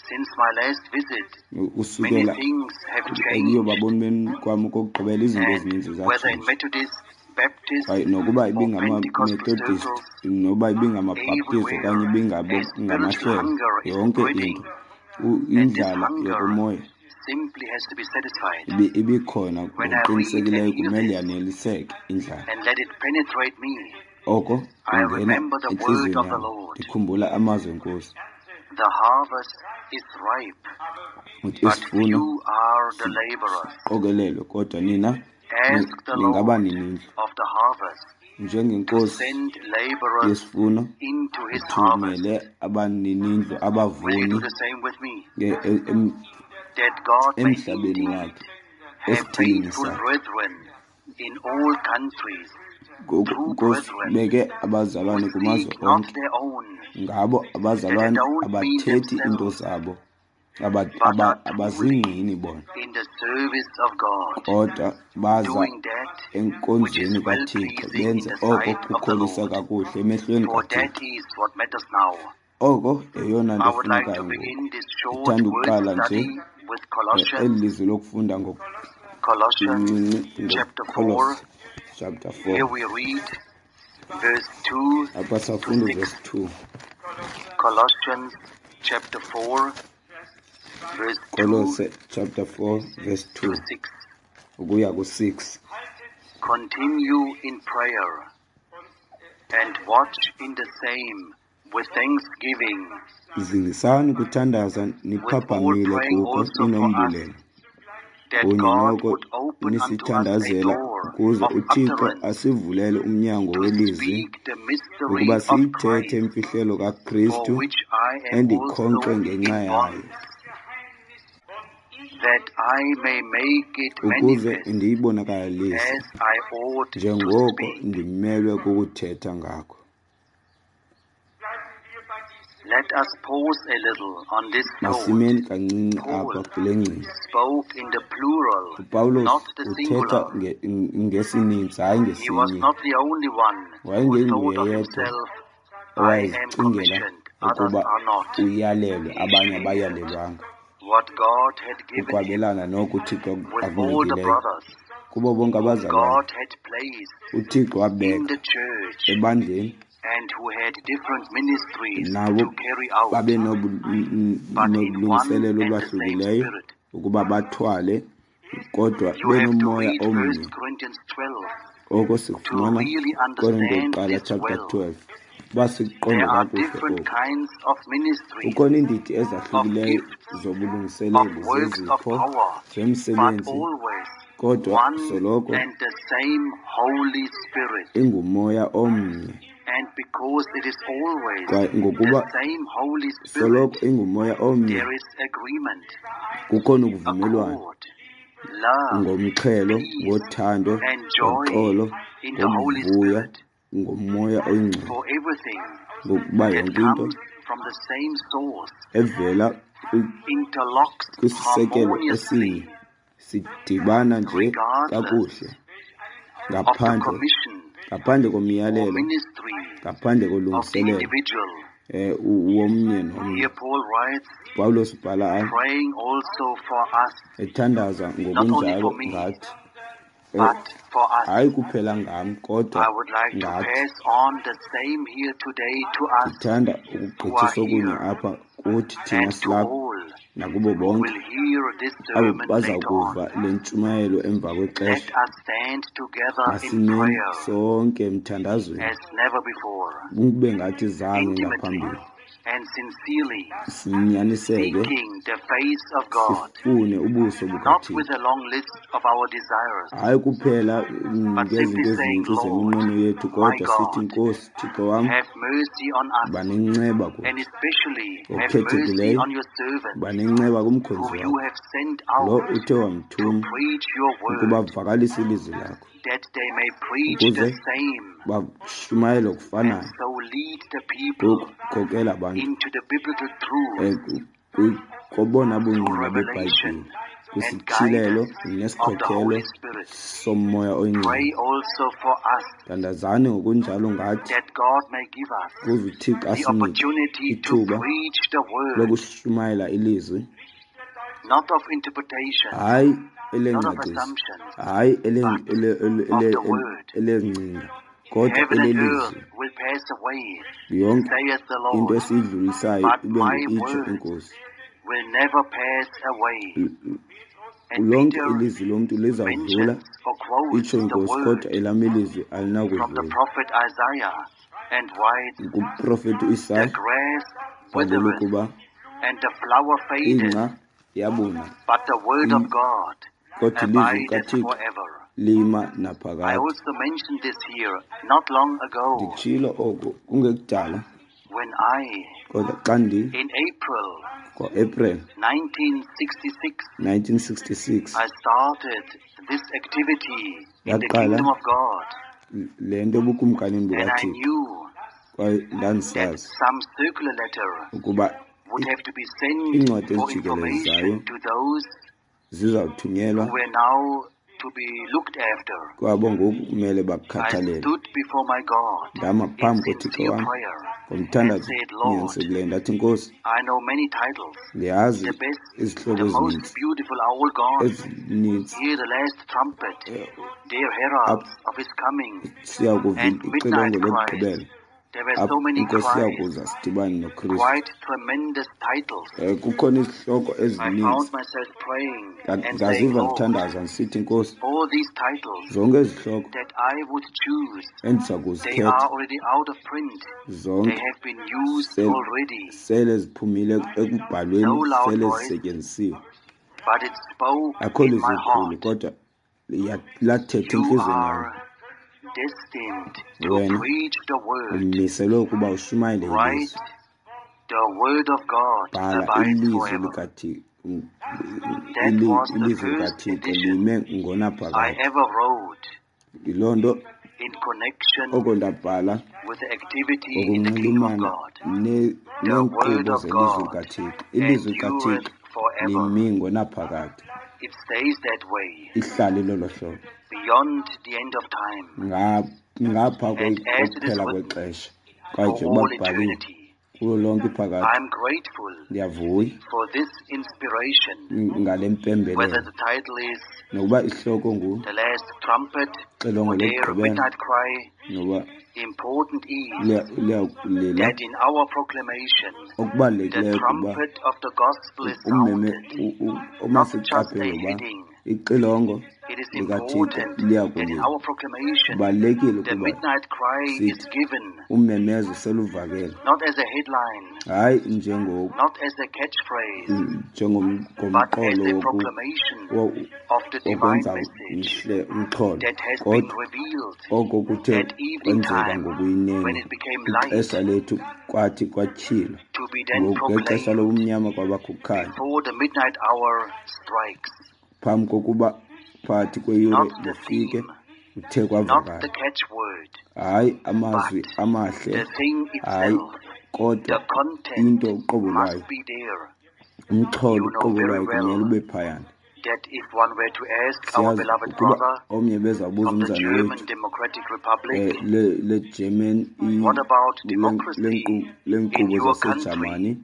Speaker 1: since my last visit, many
Speaker 2: usukela
Speaker 1: things have changed.
Speaker 2: ekuyobaboni beni kwam okokugqibela, izinto
Speaker 1: And
Speaker 2: ezininzi
Speaker 1: whether in
Speaker 2: zatshintsha.
Speaker 1: Methodist, Baptist,
Speaker 2: Kwaye nokuba
Speaker 1: or Pentecostal
Speaker 2: ibingamaMethodist,
Speaker 1: circles,
Speaker 2: noba ibingamabhaptizi okanye
Speaker 1: everywhere a spiritual
Speaker 2: ngamahlelo,
Speaker 1: hunger is
Speaker 2: yonke
Speaker 1: spreading,
Speaker 2: into,
Speaker 1: and this
Speaker 2: indlala
Speaker 1: hunger
Speaker 2: yokomoya
Speaker 1: simply has to be satisfied.
Speaker 2: ibikhona.
Speaker 1: When I read and
Speaker 2: Ngokuqinisekileyo
Speaker 1: hear
Speaker 2: kumele
Speaker 1: this
Speaker 2: yaneliseke indlala.
Speaker 1: and let it penetrate me,
Speaker 2: Oko
Speaker 1: I
Speaker 2: kungena
Speaker 1: remember the word
Speaker 2: entliziyweni
Speaker 1: of the
Speaker 2: yam,
Speaker 1: Lord.
Speaker 2: ndikhumbula amazwi enkosi.
Speaker 1: The harvest is ripe,
Speaker 2: Uthi
Speaker 1: but
Speaker 2: isivuno
Speaker 1: few are the laborers.
Speaker 2: siqokelelwe, kodwa nina
Speaker 1: Ask the Lord
Speaker 2: ningabaninindlu.
Speaker 1: of the harvest to
Speaker 2: Njengenkosi
Speaker 1: send laborers
Speaker 2: yesivuno,
Speaker 1: into his harvest.
Speaker 2: ithumele abaninindlu,
Speaker 1: Will you
Speaker 2: abavuni
Speaker 1: do the same with me? That God may
Speaker 2: emhlabeni
Speaker 1: indeed
Speaker 2: wakhe,
Speaker 1: have
Speaker 2: esithilini
Speaker 1: faithful
Speaker 2: sakhe.
Speaker 1: brethren in all countries,
Speaker 2: Ngoku
Speaker 1: true
Speaker 2: Nkosi,
Speaker 1: brethren
Speaker 2: beke
Speaker 1: who
Speaker 2: abazalwane kumazwe
Speaker 1: seek not
Speaker 2: onke.
Speaker 1: their own,
Speaker 2: Ngabo
Speaker 1: that they
Speaker 2: abazalwane
Speaker 1: don't mean
Speaker 2: abathethi into
Speaker 1: themselves,
Speaker 2: zabo,
Speaker 1: but are truly
Speaker 2: abazingqini bona,
Speaker 1: in the service of God,
Speaker 2: kodwa baza
Speaker 1: doing that which is
Speaker 2: enkonzweni
Speaker 1: well
Speaker 2: kaThixo,
Speaker 1: pleasing in
Speaker 2: benze
Speaker 1: the
Speaker 2: oko
Speaker 1: sight of the
Speaker 2: kukholisa
Speaker 1: Lord.
Speaker 2: kakuhle emehlweni
Speaker 1: For that
Speaker 2: kaThixo.
Speaker 1: is what matters now.
Speaker 2: Oko yeyona nto
Speaker 1: I would like
Speaker 2: efunekayo
Speaker 1: to
Speaker 2: ngoku.
Speaker 1: begin this short
Speaker 2: Ndithanda
Speaker 1: word
Speaker 2: ukuqala nje
Speaker 1: study with
Speaker 2: eli
Speaker 1: Colossians,
Speaker 2: lizwi lokufunda
Speaker 1: Colossians
Speaker 2: ngokuncinci
Speaker 1: chapter 4.
Speaker 2: ngoKolose chapter 4.
Speaker 1: Here we read verse 2
Speaker 2: Apha
Speaker 1: to
Speaker 2: safunda
Speaker 1: 6.
Speaker 2: uvesi 2.
Speaker 1: Colossians chapter 4, verse 2
Speaker 2: Kolose chapter 4 verse
Speaker 1: to
Speaker 2: 2
Speaker 1: 6.
Speaker 2: ukuya ku-6.
Speaker 1: Continue in prayer and watch in the same with thanksgiving,
Speaker 2: Zingisani kuthandaza
Speaker 1: with all
Speaker 2: niphaphamile
Speaker 1: praying
Speaker 2: kuko
Speaker 1: also for us,
Speaker 2: ninombulelo.
Speaker 1: that
Speaker 2: Kunye
Speaker 1: God
Speaker 2: noko
Speaker 1: would open unto us a
Speaker 2: nisithandazela
Speaker 1: door
Speaker 2: ukuze
Speaker 1: of
Speaker 2: uThixo
Speaker 1: utterance
Speaker 2: asivulele umnyango
Speaker 1: to
Speaker 2: welizwi,
Speaker 1: speak the mystery
Speaker 2: ukuba
Speaker 1: of
Speaker 2: siyithethe
Speaker 1: Christ,
Speaker 2: imfihlelo
Speaker 1: for
Speaker 2: kaKristu
Speaker 1: which I am
Speaker 2: endikhonkxwe
Speaker 1: also
Speaker 2: ngenxa
Speaker 1: in
Speaker 2: yayo,
Speaker 1: bonds, that I may make it
Speaker 2: ukuze
Speaker 1: manifest
Speaker 2: ndiyibonakalise
Speaker 1: as I ought to
Speaker 2: njengoko
Speaker 1: speak.
Speaker 2: ndimelwe kukuthetha ngakho.
Speaker 1: Let us pause a little on this thought.
Speaker 2: Masimeni kancinci
Speaker 1: Paul
Speaker 2: apha kule ngcinga.
Speaker 1: spoke in the plural,
Speaker 2: uPawulos
Speaker 1: not the
Speaker 2: uthetha
Speaker 1: singular.
Speaker 2: ngesininzi, hayi
Speaker 1: He was
Speaker 2: ngesinye.
Speaker 1: not the only one who
Speaker 2: Wayengenguye
Speaker 1: thought of
Speaker 2: yedwa
Speaker 1: himself, I am
Speaker 2: owayezicingela
Speaker 1: commissioned, others
Speaker 2: ukuba
Speaker 1: are not.
Speaker 2: uyalelwe,
Speaker 1: He
Speaker 2: abanye
Speaker 1: shared
Speaker 2: abayalelwanga.
Speaker 1: what God had given him
Speaker 2: Ukwabelana noko uThixo
Speaker 1: with all the
Speaker 2: akunikileyo
Speaker 1: brothers
Speaker 2: kubo bonke
Speaker 1: whom
Speaker 2: abazalwane.
Speaker 1: God had placed
Speaker 2: uThixo
Speaker 1: in
Speaker 2: wabeka
Speaker 1: the church
Speaker 2: ebandleni
Speaker 1: and who had different ministries
Speaker 2: nabo
Speaker 1: to carry out,
Speaker 2: babe
Speaker 1: but in one
Speaker 2: nolungiselelo
Speaker 1: and the same
Speaker 2: olwahlukileyo
Speaker 1: spirit.
Speaker 2: ukuba bathwale, kodwa
Speaker 1: You have to
Speaker 2: benomoya
Speaker 1: read
Speaker 2: omnye.
Speaker 1: 1 Corinthians 12
Speaker 2: Oko
Speaker 1: to
Speaker 2: sikufumana
Speaker 1: really
Speaker 2: Korinte
Speaker 1: understand
Speaker 2: yokuqala
Speaker 1: this
Speaker 2: chapter
Speaker 1: well.
Speaker 2: 12, uba sikuqonde
Speaker 1: There are
Speaker 2: kakuhle
Speaker 1: different
Speaker 2: oku.
Speaker 1: kinds of ministries,
Speaker 2: Kukhona iindidi
Speaker 1: of
Speaker 2: ezahlukileyo
Speaker 1: gifts,
Speaker 2: zobulungiseleli,
Speaker 1: of works of
Speaker 2: zezipho,
Speaker 1: power, but
Speaker 2: zemisebenzi,
Speaker 1: always
Speaker 2: kodwa
Speaker 1: one
Speaker 2: soloko
Speaker 1: and the same Holy Spirit.
Speaker 2: ingumoya omnye.
Speaker 1: And because it is always
Speaker 2: Kwaye
Speaker 1: the
Speaker 2: ngokuba
Speaker 1: same Holy Spirit,
Speaker 2: soloko ingumoya omnye,
Speaker 1: there is agreement,
Speaker 2: kukhona ukuvumelwano
Speaker 1: accord, love,
Speaker 2: ngomxhelo,
Speaker 1: peace,
Speaker 2: ngothando,
Speaker 1: and joy
Speaker 2: ngoxolo,
Speaker 1: in the Holy
Speaker 2: ngokuvuya
Speaker 1: Spirit.
Speaker 2: ngomoya oyingcwele.
Speaker 1: For everything
Speaker 2: Ngokuba
Speaker 1: that
Speaker 2: yonke into
Speaker 1: comes from the same source
Speaker 2: evela
Speaker 1: interlocks
Speaker 2: kwisisekelo
Speaker 1: harmoniously,
Speaker 2: esinye sidibana nje
Speaker 1: regardless
Speaker 2: kakuhle,
Speaker 1: of the
Speaker 2: ngaphandle
Speaker 1: commission
Speaker 2: ngaphandle
Speaker 1: or
Speaker 2: komyalelo,
Speaker 1: ministry
Speaker 2: ngaphandle
Speaker 1: of the
Speaker 2: kolungiselelo
Speaker 1: individual.
Speaker 2: womnye nomnye.
Speaker 1: Here Paul writes,
Speaker 2: Pawulos ubhala apha,
Speaker 1: praying also for us,
Speaker 2: ethandaza
Speaker 1: not only
Speaker 2: ngokunjalo
Speaker 1: for me,
Speaker 2: ngathi,
Speaker 1: but for us.
Speaker 2: hayi kuphela ngam, kodwa
Speaker 1: I would like to
Speaker 2: ngathi.
Speaker 1: pass on the same here today to us
Speaker 2: Ndithanda
Speaker 1: who are
Speaker 2: ukugqithisa okunye
Speaker 1: here
Speaker 2: apha kuthi thina
Speaker 1: and to
Speaker 2: silapha
Speaker 1: all
Speaker 2: Nakubo
Speaker 1: who
Speaker 2: bonke
Speaker 1: will hear this
Speaker 2: abo
Speaker 1: sermon
Speaker 2: baza
Speaker 1: later
Speaker 2: kuva
Speaker 1: on.
Speaker 2: le ntshumayelo emva
Speaker 1: Let
Speaker 2: kwexesha,
Speaker 1: us stand together in
Speaker 2: masimeni
Speaker 1: prayer
Speaker 2: sonke emthandazweni
Speaker 1: as never before,
Speaker 2: kube ngathi zange
Speaker 1: intimately
Speaker 2: ngaphambili,
Speaker 1: and sincerely
Speaker 2: sinyaniseke,
Speaker 1: seeking the face of God,
Speaker 2: sifune ubuso
Speaker 1: not
Speaker 2: bukaThixo,
Speaker 1: with a long list of our desires,
Speaker 2: hayi kuphela
Speaker 1: but simply
Speaker 2: ngezinto
Speaker 1: saying,
Speaker 2: ezininzi
Speaker 1: Lord,
Speaker 2: zeminqweno yethu,
Speaker 1: my
Speaker 2: kodwa sithi,
Speaker 1: God,
Speaker 2: Nkosi Thixo wam,
Speaker 1: have mercy on us,
Speaker 2: ba nenceba
Speaker 1: and
Speaker 2: kuthi,
Speaker 1: especially have mercy
Speaker 2: ngokukhethekileyo
Speaker 1: on your servant,
Speaker 2: ba nenceba kumkhonzi
Speaker 1: whom you
Speaker 2: wakho
Speaker 1: have sent
Speaker 2: lo
Speaker 1: out
Speaker 2: uthe
Speaker 1: to
Speaker 2: wamthuma
Speaker 1: preach your
Speaker 2: ukuba
Speaker 1: word,
Speaker 2: avakalise ilizwi lakho,
Speaker 1: that they may preach the
Speaker 2: ukuze
Speaker 1: same
Speaker 2: bashumayele
Speaker 1: and
Speaker 2: okufanayo,
Speaker 1: so lead the people
Speaker 2: ngokukhokela abantu
Speaker 1: into the biblical truth
Speaker 2: kobona
Speaker 1: through
Speaker 2: bungqina
Speaker 1: revelation
Speaker 2: beBhayibhile,
Speaker 1: and
Speaker 2: kwisityhilelo
Speaker 1: guidance of the
Speaker 2: nesikhokelo
Speaker 1: Holy Spirit.
Speaker 2: soMoya
Speaker 1: Pray
Speaker 2: oyiNgcwele.
Speaker 1: also for us
Speaker 2: Thandazani ngokunjalo ngathi,
Speaker 1: that God may give us
Speaker 2: ukuze uThixo
Speaker 1: the
Speaker 2: asinike
Speaker 1: opportunity to
Speaker 2: ithuba
Speaker 1: preach the word,
Speaker 2: lokushumayela ilizwi,
Speaker 1: not of interpretation,
Speaker 2: hayi
Speaker 1: not of
Speaker 2: elengcaciso,
Speaker 1: assumptions,
Speaker 2: hayi
Speaker 1: but of the word.
Speaker 2: elezingcinga, kodwa
Speaker 1: Heaven and earth
Speaker 2: elelizwi.
Speaker 1: will pass away,
Speaker 2: Yonke
Speaker 1: saith the
Speaker 2: into
Speaker 1: Lord,
Speaker 2: esiyidlulisayo
Speaker 1: but
Speaker 2: ibe
Speaker 1: my
Speaker 2: ngu-itsho
Speaker 1: word
Speaker 2: iNkosi.
Speaker 1: will never pass away. And
Speaker 2: Lonke
Speaker 1: Peter
Speaker 2: ilizwi lomntu lizawudlula,
Speaker 1: mentions or quotes
Speaker 2: itsho
Speaker 1: the
Speaker 2: iNkosi,
Speaker 1: word
Speaker 2: kodwa elam ilizwi
Speaker 1: from the
Speaker 2: alinakudlula.
Speaker 1: prophet Isaiah and writes,
Speaker 2: Ngumprofeti
Speaker 1: The
Speaker 2: uIsaya
Speaker 1: grass
Speaker 2: bhalile
Speaker 1: withereth
Speaker 2: ukuba
Speaker 1: and the flower fadeth,
Speaker 2: ingca iyabuna,
Speaker 1: but the word of God
Speaker 2: kodwa ilizwi
Speaker 1: abideth
Speaker 2: likaThixo
Speaker 1: forever.
Speaker 2: lima
Speaker 1: I
Speaker 2: naphakade.
Speaker 1: also mentioned this here not long ago
Speaker 2: Nditshilo oku kungekudala,
Speaker 1: when I,
Speaker 2: kodwa xa ndi
Speaker 1: in April
Speaker 2: ngoApril
Speaker 1: 1966,
Speaker 2: 1966
Speaker 1: I started this activity in the
Speaker 2: ndaqala
Speaker 1: kingdom of God,
Speaker 2: le nto ebukumkanini
Speaker 1: and I
Speaker 2: bukaThixo,
Speaker 1: knew
Speaker 2: kwaye
Speaker 1: that
Speaker 2: ndandisazi
Speaker 1: some circular letter
Speaker 2: ukuba
Speaker 1: would have to be sent
Speaker 2: iincwadi
Speaker 1: for
Speaker 2: ezijikelezayo
Speaker 1: information to those
Speaker 2: zizawuthunyelwa
Speaker 1: who were now to be looked after.
Speaker 2: kwabo ngoku kumele
Speaker 1: I
Speaker 2: bakukhathalele.
Speaker 1: stood before my God
Speaker 2: Ndama
Speaker 1: in
Speaker 2: phambi koThixo
Speaker 1: sincere
Speaker 2: wam
Speaker 1: prayer and
Speaker 2: ngomthandazo
Speaker 1: said, Lord,
Speaker 2: onyanisekileyo, ndathi, Nkosi,
Speaker 1: I know many titles.
Speaker 2: ndiyazi
Speaker 1: The best,
Speaker 2: izihloko
Speaker 1: the most
Speaker 2: ezininzi
Speaker 1: beautiful are all gone.
Speaker 2: ezininzi
Speaker 1: Hear the last trumpet, their heralds of his coming,
Speaker 2: siya kuva
Speaker 1: and
Speaker 2: ixilongo
Speaker 1: midnight cries.
Speaker 2: lokugqibela,
Speaker 1: There were
Speaker 2: apho
Speaker 1: so many
Speaker 2: iNkosi
Speaker 1: cries,
Speaker 2: iyakuza sidibane noKristu.
Speaker 1: quite tremendous titles.
Speaker 2: Kukhona izihloko
Speaker 1: I
Speaker 2: ezininzi.
Speaker 1: found myself praying and saying,
Speaker 2: Ndaziva
Speaker 1: Lord,
Speaker 2: ndithandaza ndisithi, Nkosi,
Speaker 1: all these titles
Speaker 2: zonke ezi zihloko
Speaker 1: that I would choose,
Speaker 2: endiza
Speaker 1: they
Speaker 2: kuzikhetha
Speaker 1: are already out of print. They
Speaker 2: zonke
Speaker 1: have been used already.
Speaker 2: sele ziphumile ekubhalweni,
Speaker 1: No loud
Speaker 2: sele
Speaker 1: voice,
Speaker 2: zisetyenzisiwe.
Speaker 1: but it spoke
Speaker 2: Akho
Speaker 1: in my
Speaker 2: lizwi likhulu,
Speaker 1: heart.
Speaker 2: kodwa lathetha
Speaker 1: You
Speaker 2: entliziyweni yam.
Speaker 1: are destined to
Speaker 2: Wena
Speaker 1: preach the word.
Speaker 2: umiselwe ukuba ushumayele
Speaker 1: Write
Speaker 2: ilizwi.
Speaker 1: the word of God
Speaker 2: Bhala
Speaker 1: abides
Speaker 2: ilizwi
Speaker 1: forever.
Speaker 2: likaThixo.
Speaker 1: That was the
Speaker 2: Ilizwi
Speaker 1: first
Speaker 2: likaThixo
Speaker 1: edition
Speaker 2: lime
Speaker 1: I
Speaker 2: ngonaphakade.
Speaker 1: ever wrote
Speaker 2: Yiloo nto
Speaker 1: in connection
Speaker 2: oko ndabhala
Speaker 1: with the activity in the kingdom of
Speaker 2: ngokunxulumana
Speaker 1: God. The
Speaker 2: neenkqubo
Speaker 1: word of
Speaker 2: zelizwi
Speaker 1: God
Speaker 2: likaThixo. Ilizwi likaThixo
Speaker 1: endureth forever.
Speaker 2: limi ngonaphakade.
Speaker 1: It stays that way
Speaker 2: Ihlale lolo hlobo
Speaker 1: beyond the end of time.
Speaker 2: Ngapha
Speaker 1: And as it is
Speaker 2: kokuphela
Speaker 1: written,
Speaker 2: kwexesha, kwaye
Speaker 1: for
Speaker 2: njengoba
Speaker 1: all
Speaker 2: kubhaliwe
Speaker 1: eternity.
Speaker 2: kulo lonke iphakade.
Speaker 1: I am grateful
Speaker 2: Ndiyavuya
Speaker 1: for this inspiration,
Speaker 2: ngale
Speaker 1: whether
Speaker 2: mpembelelo,
Speaker 1: the title is
Speaker 2: nokuba isihloko ngu
Speaker 1: The Last Trumpet
Speaker 2: Xilongo
Speaker 1: or Their
Speaker 2: lokugqibela,
Speaker 1: Midnight Cry.
Speaker 2: noba
Speaker 1: Important is
Speaker 2: lila.
Speaker 1: that in our proclamation, the
Speaker 2: Okubalulekileyo kuba
Speaker 1: trumpet of the gospel is
Speaker 2: ummeme
Speaker 1: sounded,
Speaker 2: uma
Speaker 1: not just a
Speaker 2: siqaphele uba
Speaker 1: heading.
Speaker 2: ixilongo
Speaker 1: It is
Speaker 2: likaThixo
Speaker 1: important that in
Speaker 2: liyakulila.
Speaker 1: our proclamation,
Speaker 2: Kubalulekile
Speaker 1: the
Speaker 2: ukuba
Speaker 1: midnight cry is
Speaker 2: sithi
Speaker 1: given,
Speaker 2: ummemezo seluvakele,
Speaker 1: not as a headline,
Speaker 2: hayi
Speaker 1: not as a catchphrase, but as
Speaker 2: njengomqolo
Speaker 1: a proclamation of the divine
Speaker 2: wokwenza
Speaker 1: message
Speaker 2: mhle umxholo,
Speaker 1: that has been
Speaker 2: kodwa
Speaker 1: revealed
Speaker 2: oko kuthe
Speaker 1: at evening
Speaker 2: kwenzeka
Speaker 1: time when
Speaker 2: ngokuyinene
Speaker 1: it became light
Speaker 2: ixesha lethu kwathi kwatyhilwa
Speaker 1: to be then
Speaker 2: ngoku ngexesha
Speaker 1: proclaimed
Speaker 2: lobumnyama kwabakho ukukhanya
Speaker 1: before the midnight hour strikes.
Speaker 2: phambi kokuba phakathi kweyure
Speaker 1: Not the
Speaker 2: lifike
Speaker 1: theme,
Speaker 2: uthe
Speaker 1: not
Speaker 2: kwavakala.
Speaker 1: the catchword,
Speaker 2: Hayi amazwi
Speaker 1: but
Speaker 2: amahle,
Speaker 1: the thing
Speaker 2: hayi
Speaker 1: itself, the
Speaker 2: kodwa
Speaker 1: content
Speaker 2: into uqobo
Speaker 1: must
Speaker 2: lwayo,
Speaker 1: be there.
Speaker 2: umxholo
Speaker 1: You know
Speaker 2: uqobo
Speaker 1: very
Speaker 2: lwayo kumele
Speaker 1: well
Speaker 2: ube phayana.
Speaker 1: that if one were to ask our
Speaker 2: Siyazi
Speaker 1: beloved
Speaker 2: ukuba
Speaker 1: brother
Speaker 2: omnye bezawubuza
Speaker 1: from the
Speaker 2: umzana
Speaker 1: German
Speaker 2: wethu
Speaker 1: Democratic Republic,
Speaker 2: le-German
Speaker 1: what about democracy in
Speaker 2: leenkqubo
Speaker 1: your country?
Speaker 2: zaseJamani,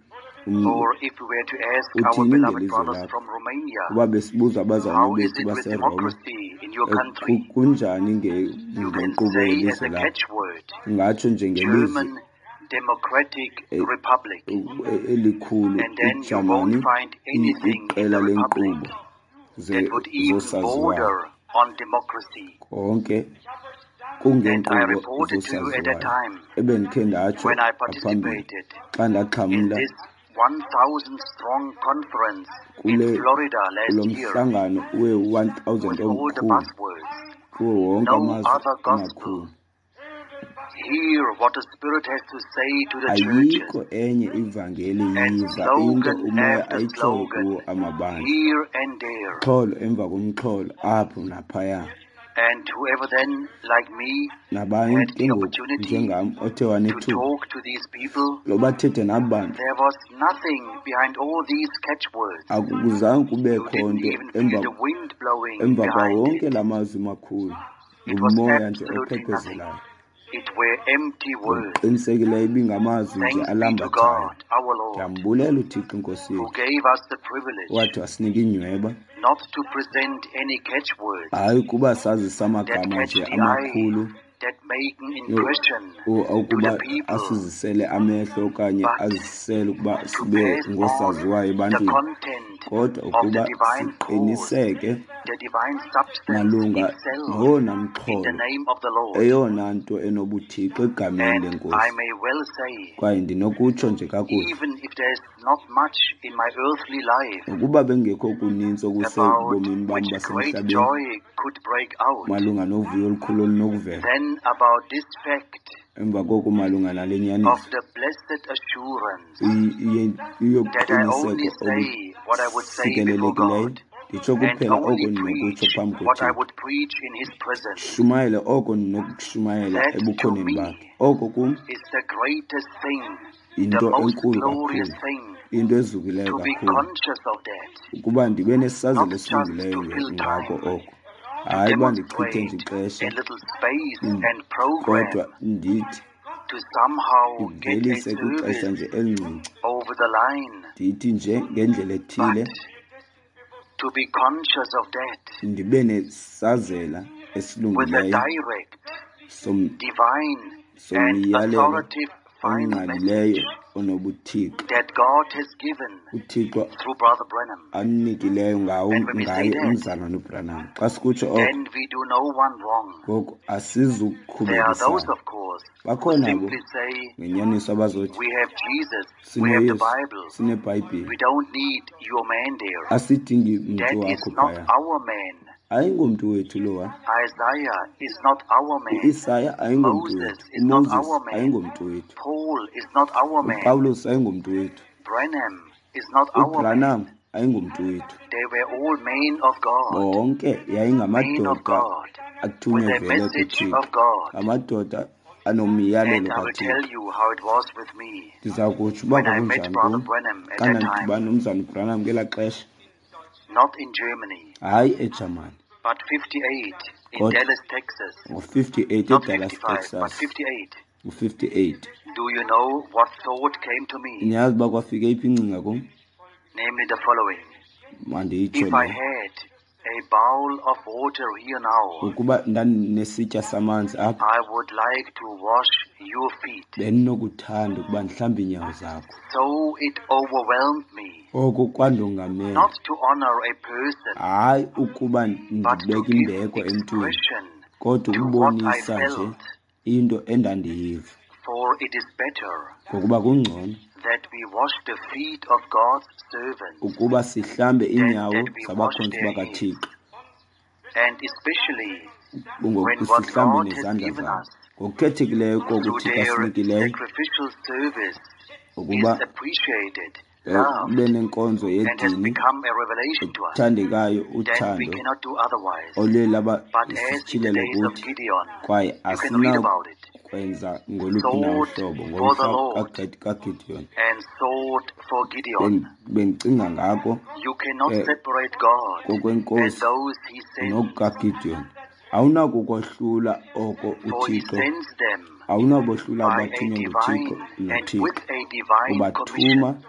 Speaker 1: Or if we were to ask our
Speaker 2: uthini
Speaker 1: beloved
Speaker 2: ngelizwe
Speaker 1: brothers
Speaker 2: lakho?
Speaker 1: from Romania,
Speaker 2: Uba besibuza abazalwane
Speaker 1: how is
Speaker 2: bethu
Speaker 1: it with
Speaker 2: baseRoma,
Speaker 1: democracy in your country?
Speaker 2: kunjani
Speaker 1: You can
Speaker 2: ngenkqubo
Speaker 1: say as
Speaker 2: yelizwe
Speaker 1: a
Speaker 2: lakho?
Speaker 1: catchword,
Speaker 2: Ungatsho nje ngelizwi
Speaker 1: German Democratic Republic.
Speaker 2: Elikhulu
Speaker 1: And then you
Speaker 2: iJamani
Speaker 1: won't find anything in
Speaker 2: iqela
Speaker 1: the
Speaker 2: lenkqubo
Speaker 1: Republic that would even
Speaker 2: zosaziwayo.
Speaker 1: border on democracy.
Speaker 2: Konke
Speaker 1: And I
Speaker 2: kungeenkqubo
Speaker 1: reported to you at that
Speaker 2: zosaziwayo.
Speaker 1: time
Speaker 2: Ebendikhe ndatsho
Speaker 1: when I
Speaker 2: ngaphambili
Speaker 1: participated
Speaker 2: xa
Speaker 1: in
Speaker 2: ndaxhamla
Speaker 1: this 1,000 strong conference in
Speaker 2: kule
Speaker 1: Florida
Speaker 2: kulo
Speaker 1: last year
Speaker 2: mhlangano we-1000
Speaker 1: with all the
Speaker 2: omkhulu
Speaker 1: buzzwords.
Speaker 2: kuwo wonke
Speaker 1: No
Speaker 2: amazwe
Speaker 1: other gospel.
Speaker 2: amakhulu.
Speaker 1: Hear what the Spirit has to say to the churches.
Speaker 2: Ayikho enye ivangeli
Speaker 1: And
Speaker 2: yiva into
Speaker 1: slogan
Speaker 2: umoya
Speaker 1: after
Speaker 2: ayitshoyo
Speaker 1: slogan,
Speaker 2: kuwo amabandla.
Speaker 1: here and there.
Speaker 2: Mxholo emva komxholo apho naphaya.
Speaker 1: And whoever then, like me,
Speaker 2: Nabanye
Speaker 1: had
Speaker 2: ke
Speaker 1: the
Speaker 2: ngoku
Speaker 1: opportunity
Speaker 2: njengam othe
Speaker 1: to
Speaker 2: wanethuba
Speaker 1: talk to these people,
Speaker 2: loba athethe naba bantu,
Speaker 1: there was nothing behind all these catchwords.
Speaker 2: akuzange
Speaker 1: You
Speaker 2: kubekho
Speaker 1: didn't
Speaker 2: nto
Speaker 1: even feel
Speaker 2: emva
Speaker 1: the wind blowing
Speaker 2: emva kwawo
Speaker 1: behind
Speaker 2: wonke
Speaker 1: it.
Speaker 2: la mazwi makhulu,
Speaker 1: It was
Speaker 2: ngumoya nje
Speaker 1: absolutely nothing.
Speaker 2: ophephezelayo.
Speaker 1: It were empty words.
Speaker 2: Ngokuqinisekileyo ibingamazwi nje
Speaker 1: Thanks be to
Speaker 2: alambathayo.
Speaker 1: God, our Lord,
Speaker 2: Ndiyambulela uThixo iNkosi
Speaker 1: who
Speaker 2: yethu
Speaker 1: gave us the privilege
Speaker 2: wathi wasinika inyweba,
Speaker 1: not to present any catchwords
Speaker 2: hayi ukuba sazise
Speaker 1: that
Speaker 2: amagama
Speaker 1: catch
Speaker 2: nje
Speaker 1: the eye,
Speaker 2: amakhulu
Speaker 1: that make an impression to the
Speaker 2: ukuba
Speaker 1: people,
Speaker 2: asizisele amehlo okanye
Speaker 1: but
Speaker 2: azisele ukuba
Speaker 1: to
Speaker 2: sibe
Speaker 1: pass on
Speaker 2: ngoosaziwayo
Speaker 1: the
Speaker 2: ebantwini,
Speaker 1: content
Speaker 2: kodwa
Speaker 1: of the
Speaker 2: ukuba
Speaker 1: divine cause,
Speaker 2: siqiniseke
Speaker 1: the divine substance
Speaker 2: malunga
Speaker 1: itself
Speaker 2: nowona
Speaker 1: in the
Speaker 2: mxholo,
Speaker 1: name of the Lord.
Speaker 2: eyona nto enobuthixo egameni
Speaker 1: And I
Speaker 2: lenkosi.
Speaker 1: may well say,
Speaker 2: Kwaye ndinokutsho nje kakuhle,
Speaker 1: even if there's not much in my earthly life
Speaker 2: nokuba bengekho kuninzi
Speaker 1: about
Speaker 2: okusebomini bam
Speaker 1: which great
Speaker 2: basemhlabeni
Speaker 1: joy could break out,
Speaker 2: malunga novuyo olukhulu olunokuvela,
Speaker 1: then about this fact
Speaker 2: emva koko malunga nale
Speaker 1: of
Speaker 2: nyaniso
Speaker 1: the blessed assurance that I only
Speaker 2: yobuqiniseko
Speaker 1: say what I would say before
Speaker 2: obusikelelekileyo,
Speaker 1: God
Speaker 2: nditsho
Speaker 1: and
Speaker 2: kuphela oko
Speaker 1: only
Speaker 2: ndinokutsho
Speaker 1: preach
Speaker 2: phambi
Speaker 1: what I
Speaker 2: koThixo,
Speaker 1: would preach in His presence.
Speaker 2: shumayele oko ndinokushumayela
Speaker 1: That to
Speaker 2: ebukhoneni
Speaker 1: me
Speaker 2: bakhe. Oko kum
Speaker 1: is the greatest thing, the
Speaker 2: yinto
Speaker 1: most
Speaker 2: enkulu
Speaker 1: glorious
Speaker 2: kakhulu,
Speaker 1: thing,
Speaker 2: into ezukileyo
Speaker 1: to be
Speaker 2: kakhulu,
Speaker 1: conscious of that,
Speaker 2: ukuba ndibe nesazelo
Speaker 1: not just
Speaker 2: esilungileyo
Speaker 1: to fill
Speaker 2: ngako
Speaker 1: time,
Speaker 2: oko.
Speaker 1: to
Speaker 2: Hayi uba ndichithe nje
Speaker 1: demonstrate
Speaker 2: ixesha,
Speaker 1: a little space and program,
Speaker 2: kodwa ndithi
Speaker 1: to somehow get a
Speaker 2: ndivelise kwixesha
Speaker 1: service
Speaker 2: nje elincinci,
Speaker 1: over the line,
Speaker 2: ndithi nje ngendlela ethile
Speaker 1: but to be conscious of that
Speaker 2: ndibe nesazela
Speaker 1: with a
Speaker 2: esilungileyo
Speaker 1: direct, divine, and
Speaker 2: somyalelo
Speaker 1: authoritative final
Speaker 2: ongqalileyo
Speaker 1: message
Speaker 2: onobuthixo
Speaker 1: that God has given
Speaker 2: uThixo
Speaker 1: through Brother Branham.
Speaker 2: anikileyo ngawo
Speaker 1: And when we say
Speaker 2: ngaye
Speaker 1: that,
Speaker 2: umzalwane uBranham. Xa sikutsho oko,
Speaker 1: then we do no one wrong.
Speaker 2: ngoku
Speaker 1: There are those,
Speaker 2: asizukukhubekisana.
Speaker 1: of course, who
Speaker 2: Bakhona abo
Speaker 1: simply say,
Speaker 2: ngenyaniso abazothi
Speaker 1: we have Jesus, we have the
Speaker 2: sinoYesu,
Speaker 1: Bible,
Speaker 2: sineBhayibhile,
Speaker 1: we don't need your man there.
Speaker 2: asidingi mntu
Speaker 1: That is
Speaker 2: wakho
Speaker 1: not
Speaker 2: phaya.
Speaker 1: our man.
Speaker 2: Ayingomntu wethu lowa.
Speaker 1: Isaiah is not our man.
Speaker 2: UIsaya ayingomntu
Speaker 1: Moses
Speaker 2: wethu,
Speaker 1: is not
Speaker 2: uMoses
Speaker 1: our man.
Speaker 2: ayingomntu wethu,
Speaker 1: Paul is not our man.
Speaker 2: uPawulos ayingomntu wethu,
Speaker 1: Branham is not our man.
Speaker 2: uBranham ayingomntu wethu.
Speaker 1: They were all men of God.
Speaker 2: Bonke
Speaker 1: Men of
Speaker 2: yayingamadoda
Speaker 1: God. With
Speaker 2: athunywe
Speaker 1: a
Speaker 2: vele
Speaker 1: message
Speaker 2: kuThixo,
Speaker 1: of God.
Speaker 2: amadoda
Speaker 1: And
Speaker 2: anomyalelo
Speaker 1: I will
Speaker 2: kaThixo.
Speaker 1: tell you how it was with me
Speaker 2: Ndiza kutsho uba
Speaker 1: when I met
Speaker 2: kwakunjani
Speaker 1: Brother
Speaker 2: kum
Speaker 1: Branham at
Speaker 2: xa
Speaker 1: that time.
Speaker 2: ndandidibana nomzana uBranham ngelaa xesha,
Speaker 1: Not in Germany,
Speaker 2: hayi eJamani,
Speaker 1: but 58 in
Speaker 2: kodwa
Speaker 1: Dallas, Texas.
Speaker 2: ngo-58
Speaker 1: Not
Speaker 2: eDallas,
Speaker 1: 55, but
Speaker 2: Texas,
Speaker 1: 58.
Speaker 2: ngo-58.
Speaker 1: Do you know what thought came to me?
Speaker 2: Niyazi uba kwafika eyiphi ingcinga kum?
Speaker 1: Namely the following.
Speaker 2: Mandiyitsho
Speaker 1: If I
Speaker 2: le.
Speaker 1: had a bowl of water here now,
Speaker 2: Ukuba ndandinesitya samanzi apha,
Speaker 1: I would like to wash your feet.
Speaker 2: bendinokuthanda ukuba ndihlambe iinyawo zakho.
Speaker 1: So it overwhelmed me,
Speaker 2: Oko kwandongamela,
Speaker 1: not to honor a person,
Speaker 2: hayi ukuba
Speaker 1: but to
Speaker 2: ndibeke
Speaker 1: give
Speaker 2: imbeko emntwini,
Speaker 1: expression
Speaker 2: kodwa
Speaker 1: to what I
Speaker 2: ukubonisa nje
Speaker 1: felt.
Speaker 2: into endandiyiva.
Speaker 1: For it is better
Speaker 2: Ngokuba kungcono
Speaker 1: that we wash the feet of God's servants
Speaker 2: ukuba sihlambe
Speaker 1: than
Speaker 2: iinyawo
Speaker 1: that we wash
Speaker 2: zabakhonzi
Speaker 1: their heads.
Speaker 2: bakaThixo,
Speaker 1: And especially when what
Speaker 2: sihlambe
Speaker 1: God has
Speaker 2: nezandla
Speaker 1: given
Speaker 2: zabo.
Speaker 1: us
Speaker 2: Ngokukhethekileyo koko
Speaker 1: through
Speaker 2: uThixo
Speaker 1: their
Speaker 2: asinikileyo
Speaker 1: sacrificial service is
Speaker 2: ukuba
Speaker 1: appreciated,
Speaker 2: ube
Speaker 1: loved,
Speaker 2: nenkonzo
Speaker 1: and has
Speaker 2: yedini
Speaker 1: become a revelation to us,
Speaker 2: ethandekayo,
Speaker 1: then we
Speaker 2: uthando
Speaker 1: cannot do otherwise.
Speaker 2: oluye laba
Speaker 1: But as in the
Speaker 2: sisityhilelo
Speaker 1: days of
Speaker 2: kuthi,
Speaker 1: Gideon,
Speaker 2: kwaye
Speaker 1: you can read about it.
Speaker 2: asinakwenza ngoluphi na
Speaker 1: Sword
Speaker 2: uhlobo.
Speaker 1: for the
Speaker 2: Ngomhla
Speaker 1: Lord
Speaker 2: kaGideon
Speaker 1: and sword for Gideon.
Speaker 2: bendicinga ngako
Speaker 1: You cannot separate God and
Speaker 2: kokwenkosi
Speaker 1: those he sends,
Speaker 2: nokukaGideon. Awunakukohlula oko
Speaker 1: for he
Speaker 2: uThixo,
Speaker 1: sends them
Speaker 2: awunabohlula
Speaker 1: by a
Speaker 2: abathunywe
Speaker 1: divine
Speaker 2: nguThixo
Speaker 1: and
Speaker 2: noThixo.
Speaker 1: with a divine
Speaker 2: Ubathuma
Speaker 1: commission.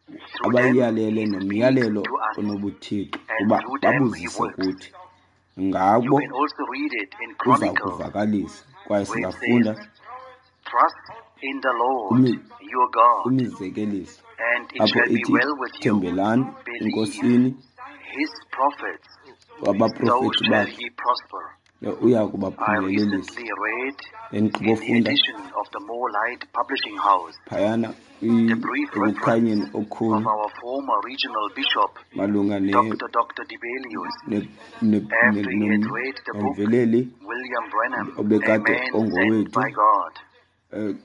Speaker 1: Through them
Speaker 2: abayalele
Speaker 1: he speaks
Speaker 2: nomyalelo
Speaker 1: to us,
Speaker 2: onobuthixo
Speaker 1: and
Speaker 2: uba
Speaker 1: through them he
Speaker 2: babuzise
Speaker 1: works.
Speaker 2: kuthi.
Speaker 1: You
Speaker 2: Ngabo
Speaker 1: can also read it in
Speaker 2: uza
Speaker 1: Chronicles,
Speaker 2: kuvakalisa, kwaye
Speaker 1: where it
Speaker 2: singafunda
Speaker 1: says, Trust in the Lord your God,
Speaker 2: kwimizekeliso
Speaker 1: and it
Speaker 2: apho
Speaker 1: shall be
Speaker 2: ithi
Speaker 1: well with you.
Speaker 2: thembelani
Speaker 1: Believe
Speaker 2: enkosini
Speaker 1: his prophets, so
Speaker 2: wabaprofethi
Speaker 1: shall
Speaker 2: bakhe
Speaker 1: ye prosper.
Speaker 2: uya
Speaker 1: I
Speaker 2: kubaphumelelisa.
Speaker 1: recently read in the
Speaker 2: Endigqibofunda
Speaker 1: edition of the More Light Publishing House
Speaker 2: phayana
Speaker 1: the brief reference
Speaker 2: ekukhanyeni
Speaker 1: of
Speaker 2: okukhulu
Speaker 1: our former regional bishop,
Speaker 2: malunga
Speaker 1: Dr. Dr. Dibelius, after he had read the book
Speaker 2: nomveleli
Speaker 1: William Branham, A
Speaker 2: obekade
Speaker 1: Man Sent
Speaker 2: ongowethu
Speaker 1: by God.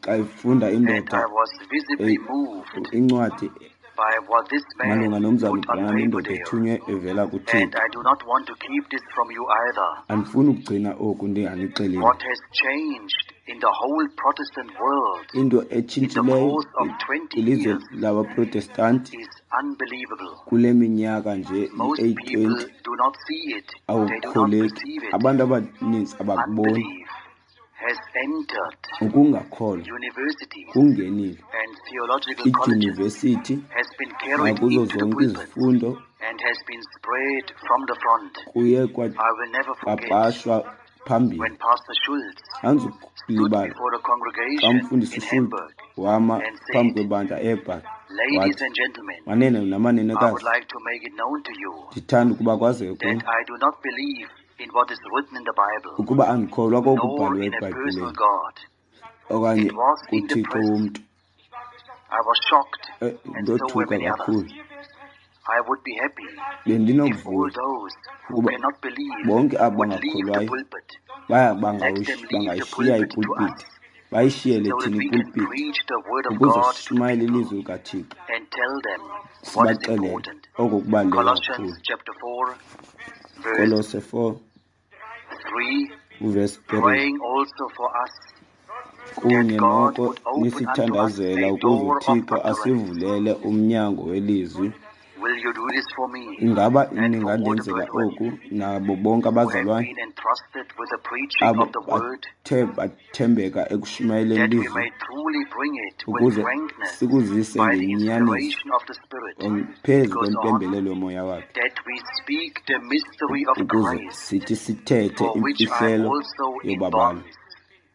Speaker 2: xa efunda
Speaker 1: And
Speaker 2: indoda
Speaker 1: I was visibly moved
Speaker 2: incwadi
Speaker 1: by what this
Speaker 2: malunga
Speaker 1: man
Speaker 2: nomzana
Speaker 1: put on
Speaker 2: uBranham
Speaker 1: paper
Speaker 2: indoda
Speaker 1: there.
Speaker 2: ethunywe evela
Speaker 1: And
Speaker 2: kuThixo.
Speaker 1: I do not want to keep this from you either.
Speaker 2: Andifuni ukugcina oku ndinganixeleli.
Speaker 1: What has changed in the whole Protestant world
Speaker 2: Into
Speaker 1: in the
Speaker 2: etshintshileyo
Speaker 1: course of 20
Speaker 2: kwilizwe
Speaker 1: years
Speaker 2: labaProtestanti
Speaker 1: is unbelievable.
Speaker 2: kule minyaka nje
Speaker 1: Most
Speaker 2: i-820
Speaker 1: people do not see it. They do not
Speaker 2: awukholeki.
Speaker 1: perceive it.
Speaker 2: Abantu abaninzi abakuboni.
Speaker 1: Unbelief has entered
Speaker 2: Ukungakholwa
Speaker 1: universities
Speaker 2: kungenile
Speaker 1: and theological colleges,
Speaker 2: idyunivesithi
Speaker 1: has been carried
Speaker 2: nakuzo
Speaker 1: into the
Speaker 2: zonke
Speaker 1: pulpit,
Speaker 2: izifundo
Speaker 1: and has been spread from the front.
Speaker 2: kuye
Speaker 1: I will never forget
Speaker 2: kwapapashwa phambili.
Speaker 1: when Pastor Schultz stood
Speaker 2: Andizukulibala
Speaker 1: before the
Speaker 2: xa
Speaker 1: congregation
Speaker 2: umfundisi
Speaker 1: in
Speaker 2: uSchultz
Speaker 1: Hamburg
Speaker 2: wama
Speaker 1: and
Speaker 2: phambi
Speaker 1: said,
Speaker 2: kwebandla eBhayi
Speaker 1: Ladies
Speaker 2: wathi,
Speaker 1: and gentlemen,
Speaker 2: manene
Speaker 1: I would
Speaker 2: namanenekazi,
Speaker 1: like to make it known to you
Speaker 2: ndithanda ukuba kwazeke
Speaker 1: that
Speaker 2: kuni
Speaker 1: I do not believe in what is written in the Bible,
Speaker 2: ukuba andikholwa
Speaker 1: nor
Speaker 2: kokubhalwe
Speaker 1: in a personal
Speaker 2: eBhayibhileni
Speaker 1: God.
Speaker 2: okanye
Speaker 1: It was in the
Speaker 2: kuThixo
Speaker 1: press.
Speaker 2: womntu.
Speaker 1: I was shocked, and so were
Speaker 2: Ndothuka
Speaker 1: many others.
Speaker 2: kakhulu.
Speaker 1: I would be happy if all
Speaker 2: Bendinokuvuya
Speaker 1: those who
Speaker 2: ukuba
Speaker 1: cannot believe
Speaker 2: bonke abo
Speaker 1: would leave the
Speaker 2: bangakholwayo
Speaker 1: pulpit.
Speaker 2: baya
Speaker 1: Let them leave the
Speaker 2: bangayishiya
Speaker 1: pulpit to
Speaker 2: ipulpiti
Speaker 1: us
Speaker 2: bayishiyele
Speaker 1: so that
Speaker 2: thina
Speaker 1: we can
Speaker 2: ipulpiti
Speaker 1: preach the word of
Speaker 2: ukuze
Speaker 1: God to the
Speaker 2: sishumayele
Speaker 1: people
Speaker 2: ilizwi likaThixo
Speaker 1: and tell them what is
Speaker 2: sibaxelele
Speaker 1: important.
Speaker 2: oko kubaluleke
Speaker 1: Colossians
Speaker 2: kakhulu.
Speaker 1: chapter 4, verse
Speaker 2: Kolose 4
Speaker 1: 3,
Speaker 2: uvesi 3
Speaker 1: praying also for us that
Speaker 2: kunye
Speaker 1: God
Speaker 2: noko
Speaker 1: would open unto us
Speaker 2: nisithandazela
Speaker 1: a
Speaker 2: ukuze
Speaker 1: door of
Speaker 2: uThixo
Speaker 1: utterance.
Speaker 2: asivulele umnyango welizwi.
Speaker 1: Will you do this for me
Speaker 2: Ingaba
Speaker 1: and for all the
Speaker 2: ningandenzela
Speaker 1: brethren
Speaker 2: oku nabo bonke
Speaker 1: who have
Speaker 2: abazalwane
Speaker 1: been entrusted with the preaching
Speaker 2: abo
Speaker 1: of the word,
Speaker 2: bathe bathembeka ekushumayeleni
Speaker 1: that we
Speaker 2: ilizwi
Speaker 1: may truly bring it with
Speaker 2: ukuze
Speaker 1: frankness
Speaker 2: sikuzise
Speaker 1: by the
Speaker 2: ngenyaniso
Speaker 1: inspiration of the Spirit,
Speaker 2: phezu
Speaker 1: goes on,
Speaker 2: kwempembelelo yomoya wakhe
Speaker 1: that we speak the mystery of
Speaker 2: ukuze
Speaker 1: Christ,
Speaker 2: sithi sithethe
Speaker 1: for which I am
Speaker 2: imfihlelo
Speaker 1: also in
Speaker 2: yobabalo
Speaker 1: bonds.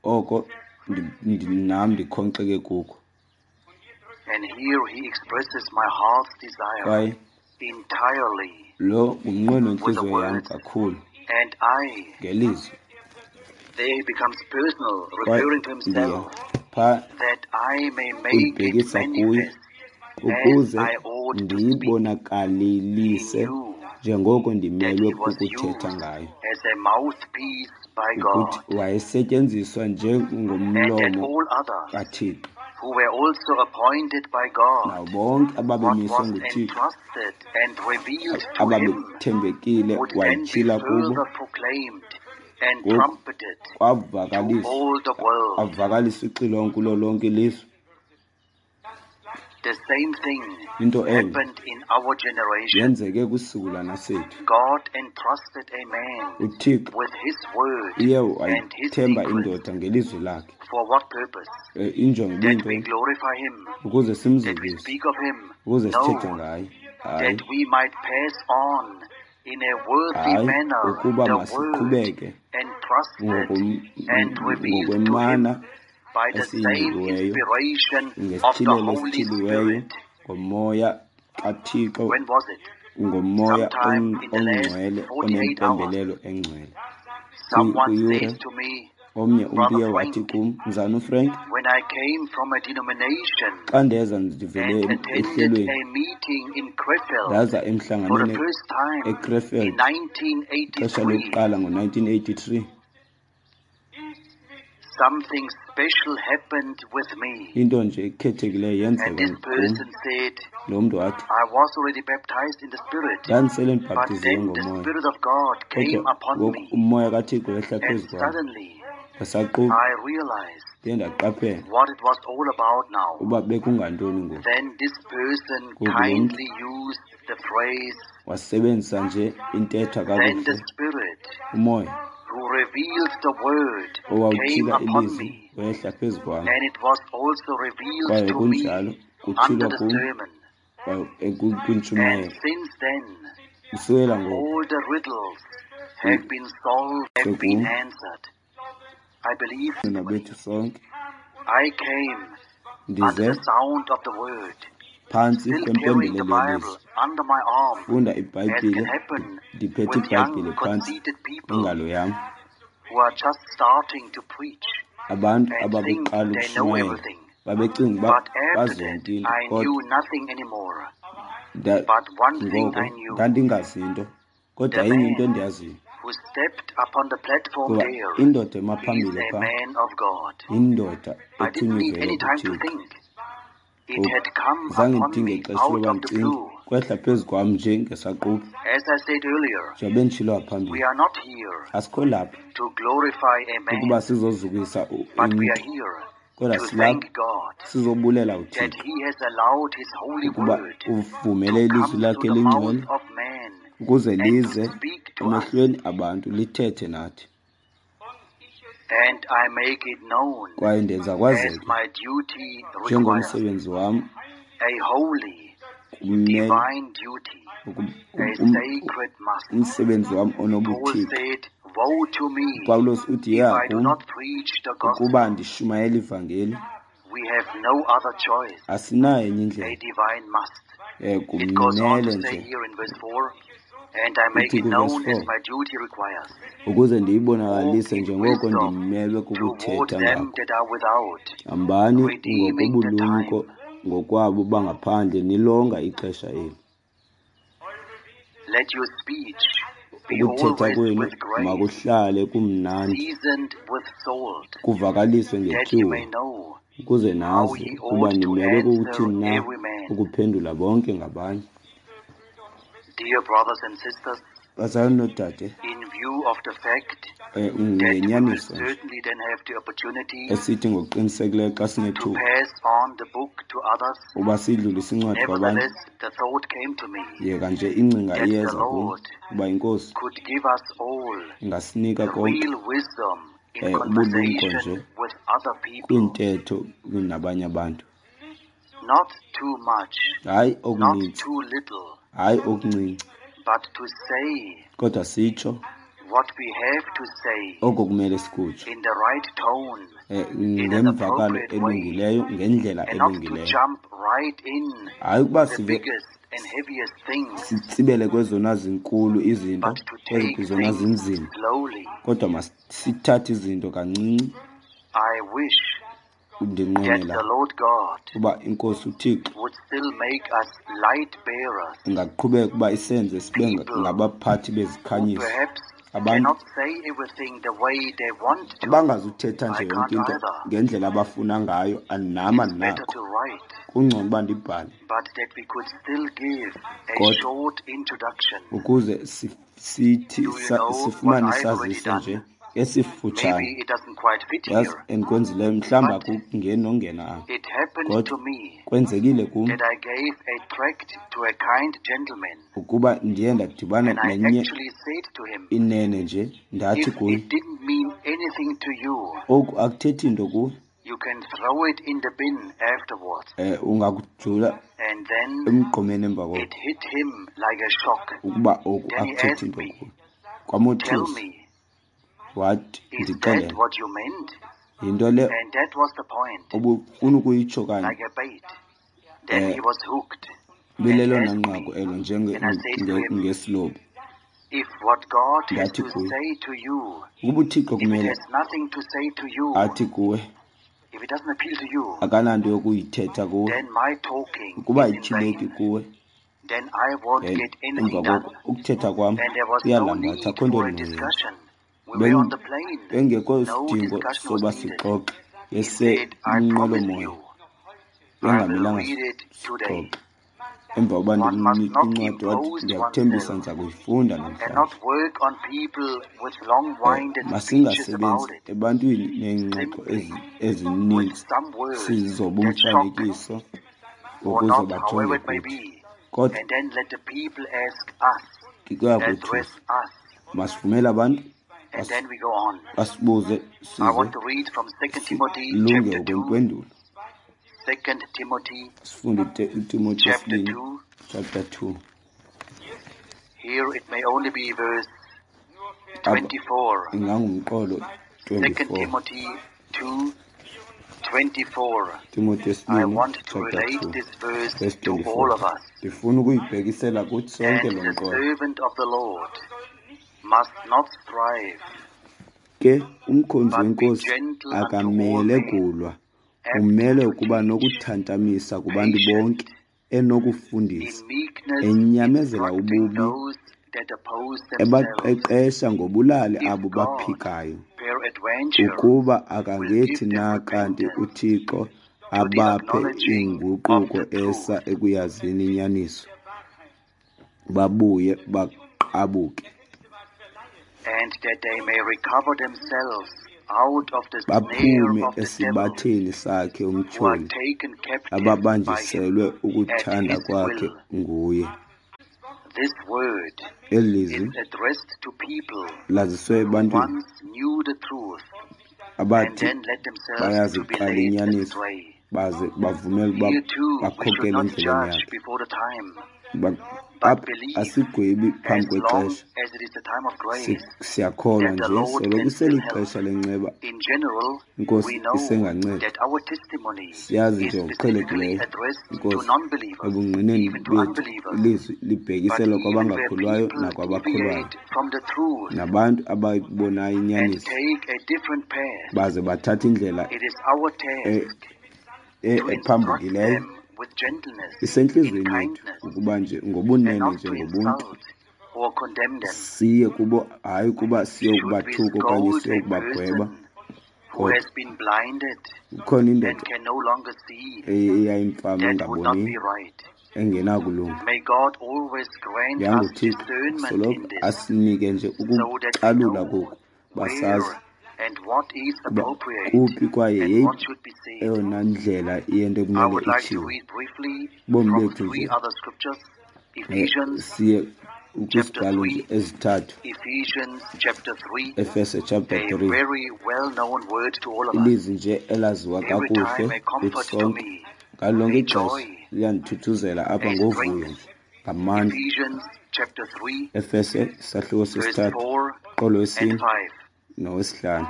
Speaker 2: oko nam ndikhonxeke kuko.
Speaker 1: And here he expresses my heart's desire
Speaker 2: Kwaye
Speaker 1: entirely
Speaker 2: lo ngumnqweno
Speaker 1: with the
Speaker 2: wentliziyo yam
Speaker 1: words,
Speaker 2: kakhulu
Speaker 1: and I.
Speaker 2: ngelizwi.
Speaker 1: There he becomes personal,
Speaker 2: Kwaye
Speaker 1: referring to
Speaker 2: ndiya
Speaker 1: himself,
Speaker 2: phaa
Speaker 1: that I may make it
Speaker 2: uyibhekisa kuye
Speaker 1: manifest as
Speaker 2: ukuze
Speaker 1: I ought to speak. He
Speaker 2: ndiyibonakalise
Speaker 1: knew
Speaker 2: njengoko
Speaker 1: that
Speaker 2: ndimelwe
Speaker 1: he was
Speaker 2: kukuthetha
Speaker 1: used
Speaker 2: ngayo.
Speaker 1: as a mouthpiece by
Speaker 2: Ukuthi
Speaker 1: God,
Speaker 2: wayesetyenziswa
Speaker 1: and that
Speaker 2: njengomlomo
Speaker 1: all others
Speaker 2: kaThixo
Speaker 1: who were also appointed by God,
Speaker 2: nabo bonke
Speaker 1: what
Speaker 2: ababemiswe
Speaker 1: was
Speaker 2: nguThixo
Speaker 1: entrusted and revealed to him
Speaker 2: ababethembekile
Speaker 1: would then be
Speaker 2: wayityhila kubo.
Speaker 1: further proclaimed and
Speaker 2: Ngoku
Speaker 1: trumpeted to
Speaker 2: kwavakalisa
Speaker 1: all the world.
Speaker 2: avakalisa ixilongo kulo lonke ilizwe.
Speaker 1: The same thing
Speaker 2: Into enye
Speaker 1: happened in our generation.
Speaker 2: yenzeke kwisizukulwana sethu.
Speaker 1: God entrusted a man
Speaker 2: uThixo
Speaker 1: with his word
Speaker 2: uye
Speaker 1: and his
Speaker 2: wayithemba
Speaker 1: secrets.
Speaker 2: indoda ngelizwi lakhe.
Speaker 1: For what purpose?
Speaker 2: Injongo
Speaker 1: That we
Speaker 2: ibiyintoni?
Speaker 1: glorify him,
Speaker 2: Ukuze
Speaker 1: that we
Speaker 2: simzukise,
Speaker 1: speak of him?
Speaker 2: ukuze sithethe
Speaker 1: No,
Speaker 2: ngaye. Hayi,
Speaker 1: that we might pass on in a worthy
Speaker 2: hayi,
Speaker 1: manner
Speaker 2: ukuba
Speaker 1: the word
Speaker 2: masiqhubeke
Speaker 1: entrusted and revealed to him
Speaker 2: ngokwemana
Speaker 1: by the same
Speaker 2: esiyinikiweyo
Speaker 1: inspiration of the
Speaker 2: ngesithilelo
Speaker 1: Holy
Speaker 2: esithiliweyo
Speaker 1: Spirit.
Speaker 2: ngomoya kaThixo,
Speaker 1: When was it?
Speaker 2: ngomoya
Speaker 1: Sometime in the last
Speaker 2: ongcwele
Speaker 1: 48 hours,
Speaker 2: onempembelelo engcwele.
Speaker 1: someone
Speaker 2: Kwiyure
Speaker 1: said to me,
Speaker 2: omnye umntu
Speaker 1: Brother
Speaker 2: uye wathi
Speaker 1: Frank,
Speaker 2: kum, Mzana uFrank,
Speaker 1: when I came from a denomination
Speaker 2: xa ndeza ndivele
Speaker 1: and attended
Speaker 2: ehlelweni
Speaker 1: a meeting in Krefeld
Speaker 2: ndaza
Speaker 1: for the
Speaker 2: emhlanganweni
Speaker 1: first time in
Speaker 2: eKrefeld ixesha
Speaker 1: 1983,
Speaker 2: lokuqala ngo-1983,
Speaker 1: something special happened with me.
Speaker 2: into nje ekhethekileyo
Speaker 1: And
Speaker 2: yenzeka
Speaker 1: this
Speaker 2: kum.
Speaker 1: person said,
Speaker 2: Lo mntu wathi,
Speaker 1: I was already baptized in the Spirit,
Speaker 2: ndandisele
Speaker 1: but
Speaker 2: ndibhaptiziwe
Speaker 1: then the
Speaker 2: ngomoya,
Speaker 1: Spirit of God came
Speaker 2: kodwa
Speaker 1: upon
Speaker 2: ngoku
Speaker 1: me,
Speaker 2: umoya kaThixo wehla
Speaker 1: and
Speaker 2: phezu kwam.
Speaker 1: suddenly
Speaker 2: Ngesaquphe
Speaker 1: I realized
Speaker 2: ndiye ndaqaphela
Speaker 1: what it was all about now.
Speaker 2: uba bekungantoni ngoku.
Speaker 1: Then this person
Speaker 2: Ngoku lo mntu
Speaker 1: kindly used the phrase,
Speaker 2: wasebenzisa nje intetha
Speaker 1: Then the
Speaker 2: kakuhle.
Speaker 1: Spirit
Speaker 2: Umoya
Speaker 1: who revealed the word came
Speaker 2: owawutyhila
Speaker 1: upon
Speaker 2: ilizwi
Speaker 1: me,
Speaker 2: wehla phezu kwam,
Speaker 1: and it was also revealed
Speaker 2: kwaye
Speaker 1: to me
Speaker 2: kunjalo
Speaker 1: under
Speaker 2: kutyhilwa
Speaker 1: the
Speaker 2: kum
Speaker 1: sermon. And
Speaker 2: kwintshumayelo.
Speaker 1: since then,
Speaker 2: Kusukela ngoku
Speaker 1: all the riddles have been solved, have been
Speaker 2: sekum
Speaker 1: answered. I believe
Speaker 2: nina bethu sonke
Speaker 1: I came
Speaker 2: Ndize phantsi kwempembelelo yelizwi, funda iBhayibhile, ndiphethe iBhayibhile phantsi kwengalo yam. Abantu ababeqala ukushumayela babecinga uba bazi yonke into, kodwa ngoko ndandingazi nto. Kodwa inye into endiyaziyo, kuba indoda emaphambili phaa yindoda ethunywe ivela kuThixo. Zange ndidinge ixesha loba ndicinge, kwehla phezu kwam nje ngesaquphe. Njengoba benditshilo ngaphambili, asikho lapha ukuba sizozukisa umntu, kodwa silapha sizobulela uThixo ukuba uvumele ilizwi lakhe elingcwele ukuze lize emehlweni abantu lithethe nathi. Kwaye ndenza kwazeke njengomsebenzi wam kumele umsebenzi wam onobuthixo. UPawulos uthi, yeha kum ukuba ndishumayela ivangeli. Asinayo enye indlela, kumele nje. Uthi kuvesi 4, ukuze ndiyibonakalise njengoko ndimelwe kukuthetha ngako. Hambani ngokobulumko ngokwabo bangaphandle, nilonga ixesha eli. Ukuthetha kwenu makuhlale kumnandi, kuvakaliswe ngetyuwa, ukuze nazi ukuba nimelwe kukuthini na ukuphendula bonke ngabanye. Bazalwane noodade, ngenyaniso nje esithi ngokuqinisekileyo xa sinethuba uba sidlulise incwadi kwabanye, yeka nje ingcinga iyeza kum uba iNkosi ingasinika konke ubulumko nje kwintetho nabanye abantu. Hayi okuninzi, hayi okuncinci, kodwa sitsho oko kumele sikutsho ngemvakalo elungileyo, ngendlela elungileyo. Hayi ukuba sive sitsibele kwezona zinkulu izinto, kwezona zinzima, kodwa masithathe izinto kancinci. Ndinqwenela uba iNkosi uThixo ingaqhubeka uba isenze sibe ngabaphathi bezikhanyiso, abantu abangazuthetha nje yonke into ngendlela abafuna ngayo. Nam andinakho, kungcono uba ndibhale, kodwa ukuze sithi sifumane isaziso nje esifutshane. Yazi endikwenzileyo, mhlawumbi akungeni nongena apha, kodwa kwenzekile kum ukuba ndiye ndadibana nenye inene nje, ndathi kuye, oku akuthethi nto kuwe, ungakujula emgqomeni emva koko, ukuba oku akuthethi nto kuwe. Kwamothusa, wathi, ndixelele, yinto le ubufuna ukuyitsho kanye? Bilelona nqaku elo njengesilobi. Ndathi kuye, ukuba uThixo kumele athi kuwe, akananto yokuyithetha kuwe, ukuba ayityhileki kuwe, emva koko ukuthetha kwam kuyalambatha, akho nto ndinoyenza. Bengekho sidingo soba sixoxe, besenqwelomoya, bengamelanga sixoxe. Emva koba ndimnike incwadi wathi, ndiyakuthembisa ndiza kuyifunda namhlanje. Masingasebenzi ebantwini neengxoxo ezininzi sizoba umfanekiso ukuze bajonge kuthi, kodwa kuyakothusa. Masivumele abantu basibuze size silunge ukwempendulo. Sifunde uTimothy wesibini chapter 2.
Speaker 1: Here it may only be verse 24.
Speaker 2: Ingangumqolo
Speaker 1: 2
Speaker 2: 24.
Speaker 1: Timothy 2:24. 24.
Speaker 2: Timothy
Speaker 1: I
Speaker 2: yesibini
Speaker 1: want to
Speaker 2: chapter
Speaker 1: relate
Speaker 2: 2
Speaker 1: this verse
Speaker 2: verse
Speaker 1: to all
Speaker 2: 24.
Speaker 1: of us.
Speaker 2: Ndifuna ukuyibhekisela kuthi sonke
Speaker 1: And
Speaker 2: lo
Speaker 1: the
Speaker 2: mqolo.
Speaker 1: servant of the Lord must not strive,
Speaker 2: Ke umkhonzi
Speaker 1: but be
Speaker 2: wenkosi
Speaker 1: gentle unto all
Speaker 2: akamele
Speaker 1: men,
Speaker 2: kulwa,
Speaker 1: apt
Speaker 2: umele
Speaker 1: to
Speaker 2: ukuba
Speaker 1: teach,
Speaker 2: nokuthantamisa kubantu
Speaker 1: patient,
Speaker 2: bonke, enokufundisa,
Speaker 1: in meekness
Speaker 2: enyamezela
Speaker 1: instructing
Speaker 2: ububi,
Speaker 1: those that oppose themselves.
Speaker 2: ebaqeqesha ngobulali
Speaker 1: If
Speaker 2: abo
Speaker 1: God,
Speaker 2: baphikayo,
Speaker 1: peradventure,
Speaker 2: ukuba
Speaker 1: will give
Speaker 2: akangethi
Speaker 1: them
Speaker 2: na kanti
Speaker 1: repentance
Speaker 2: uThixo
Speaker 1: to the
Speaker 2: abaphe
Speaker 1: acknowledging of
Speaker 2: inguquko
Speaker 1: the
Speaker 2: esa
Speaker 1: truth,
Speaker 2: ekuyazini inyaniso, babuye baqabuke,
Speaker 1: and that they may recover themselves out of the snare
Speaker 2: baphume
Speaker 1: of the devil,
Speaker 2: esibatheni sakhe
Speaker 1: who are
Speaker 2: umtyholi,
Speaker 1: taken captive by him
Speaker 2: ababanjiselwe
Speaker 1: at
Speaker 2: ukuthanda
Speaker 1: his
Speaker 2: kwakhe
Speaker 1: will.
Speaker 2: nguye.
Speaker 1: This word
Speaker 2: Eli
Speaker 1: is
Speaker 2: lizwi
Speaker 1: addressed to people
Speaker 2: laziswe
Speaker 1: who
Speaker 2: ebantwini
Speaker 1: once knew the truth and
Speaker 2: abathi
Speaker 1: then let themselves to be
Speaker 2: bayaziqala
Speaker 1: led
Speaker 2: inyaniso
Speaker 1: astray.
Speaker 2: baze bavumele ukuba
Speaker 1: Here too, we should
Speaker 2: bakhokele
Speaker 1: not
Speaker 2: endleleni
Speaker 1: judge
Speaker 2: yakhe.
Speaker 1: before the time, but
Speaker 2: Apha
Speaker 1: believe
Speaker 2: asigwebi phambi
Speaker 1: as long
Speaker 2: kwexesha,
Speaker 1: as it is the time of grace
Speaker 2: siyakholwa
Speaker 1: that the
Speaker 2: nje
Speaker 1: Lord
Speaker 2: soloko
Speaker 1: can still help.
Speaker 2: iselixesha lenceba,
Speaker 1: In general,
Speaker 2: inkosi
Speaker 1: we know
Speaker 2: isenganceda.
Speaker 1: that our testimony
Speaker 2: Siyazi
Speaker 1: is
Speaker 2: nje
Speaker 1: specifically
Speaker 2: ngokuqhelekileyo,
Speaker 1: addressed to
Speaker 2: inkosi,
Speaker 1: non-believers,
Speaker 2: ebungqineni
Speaker 1: even to
Speaker 2: bethu
Speaker 1: unbelievers.
Speaker 2: ilizwi
Speaker 1: But
Speaker 2: libhekiselwa
Speaker 1: even where
Speaker 2: kwabangakholwayo
Speaker 1: people
Speaker 2: nakwabakholwayo,
Speaker 1: deviate from the truth
Speaker 2: nabantu abayibonayo
Speaker 1: and
Speaker 2: inyaniso
Speaker 1: take a different path,
Speaker 2: baze bathathe indlela
Speaker 1: it is our task to instruct
Speaker 2: ephambukileyo.
Speaker 1: them with gentleness, in
Speaker 2: Isentliziyweni yethu
Speaker 1: kindness,
Speaker 2: ukuba nje
Speaker 1: and
Speaker 2: ngobunene
Speaker 1: not to
Speaker 2: njengobuntu
Speaker 1: insult or condemn them.
Speaker 2: siye kubo, hayi ukuba
Speaker 1: Should we
Speaker 2: siyokubathuka okanye
Speaker 1: scold a
Speaker 2: siyokubagweba,
Speaker 1: person who
Speaker 2: kodwa
Speaker 1: has been blinded
Speaker 2: kukhona
Speaker 1: and
Speaker 2: indoda
Speaker 1: can no longer see?
Speaker 2: eyayimfama
Speaker 1: That would not
Speaker 2: engaboniyo,
Speaker 1: be right.
Speaker 2: engenakulunga.
Speaker 1: May God always grant
Speaker 2: Yanga
Speaker 1: us
Speaker 2: uThixo
Speaker 1: discernment
Speaker 2: soloko
Speaker 1: in this,
Speaker 2: asinike nje
Speaker 1: so that we
Speaker 2: ukucalula
Speaker 1: know
Speaker 2: koku, basazi
Speaker 1: where and what is
Speaker 2: ukuba
Speaker 1: appropriate
Speaker 2: kuphi kwaye
Speaker 1: and
Speaker 2: yeyiphi
Speaker 1: what should be said.
Speaker 2: eyona ndlela yento
Speaker 1: I
Speaker 2: ekumele
Speaker 1: would like to
Speaker 2: itshiwo.
Speaker 1: read briefly
Speaker 2: Ubomi
Speaker 1: from
Speaker 2: bethu
Speaker 1: three
Speaker 2: nje
Speaker 1: other scriptures. Ephesians
Speaker 2: siye
Speaker 1: chapter
Speaker 2: kwizibhalo nje
Speaker 1: 3,
Speaker 2: ezithathu,
Speaker 1: Ephesians chapter 3,
Speaker 2: Efese chapter
Speaker 1: a
Speaker 2: 3,
Speaker 1: very well-known word to all of us.
Speaker 2: ilizwi nje elaziwa
Speaker 1: Every
Speaker 2: kakuhle
Speaker 1: time a
Speaker 2: kuthi
Speaker 1: comfort to
Speaker 2: sonke.
Speaker 1: me,
Speaker 2: Ngalo lonke
Speaker 1: a
Speaker 2: ixesha
Speaker 1: joy,
Speaker 2: liyandithuthuzela apha
Speaker 1: a
Speaker 2: ngovuyo
Speaker 1: strength.
Speaker 2: nje ngamandla.
Speaker 1: Ephesians chapter 3,
Speaker 2: Efese isahluko
Speaker 1: verse
Speaker 2: sesithathu,
Speaker 1: 4
Speaker 2: qolo
Speaker 1: and
Speaker 2: wesine
Speaker 1: 5,
Speaker 2: nowesihlanu.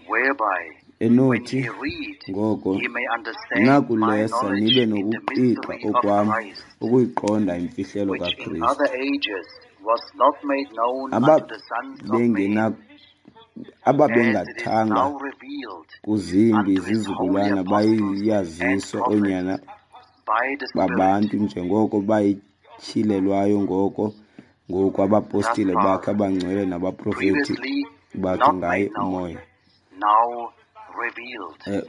Speaker 1: whereby when
Speaker 2: Enothi
Speaker 1: ye read,
Speaker 2: ngoko
Speaker 1: ye may understand my
Speaker 2: nakulesa
Speaker 1: knowledge
Speaker 2: nibe
Speaker 1: in the
Speaker 2: nokuqiqa
Speaker 1: mystery of
Speaker 2: okwam
Speaker 1: Christ,
Speaker 2: ukuyiqonda imfihlelo
Speaker 1: which in
Speaker 2: kaKristu,
Speaker 1: other ages was not made known unto the sons of men, as it is
Speaker 2: ababengathanga
Speaker 1: now revealed
Speaker 2: kuzimbi
Speaker 1: unto his holy
Speaker 2: zizukulwana
Speaker 1: apostles and
Speaker 2: bayaziswa
Speaker 1: prophets
Speaker 2: oonyana
Speaker 1: by the Spirit.
Speaker 2: babantu njengoko bayityhilelwayo ngoko ngoku
Speaker 1: Thus
Speaker 2: abapostile bakhe
Speaker 1: far,
Speaker 2: abangcwele nabaprofeti
Speaker 1: previously
Speaker 2: bakhe
Speaker 1: not
Speaker 2: ngaye
Speaker 1: made known,
Speaker 2: uMoya.
Speaker 1: now revealed.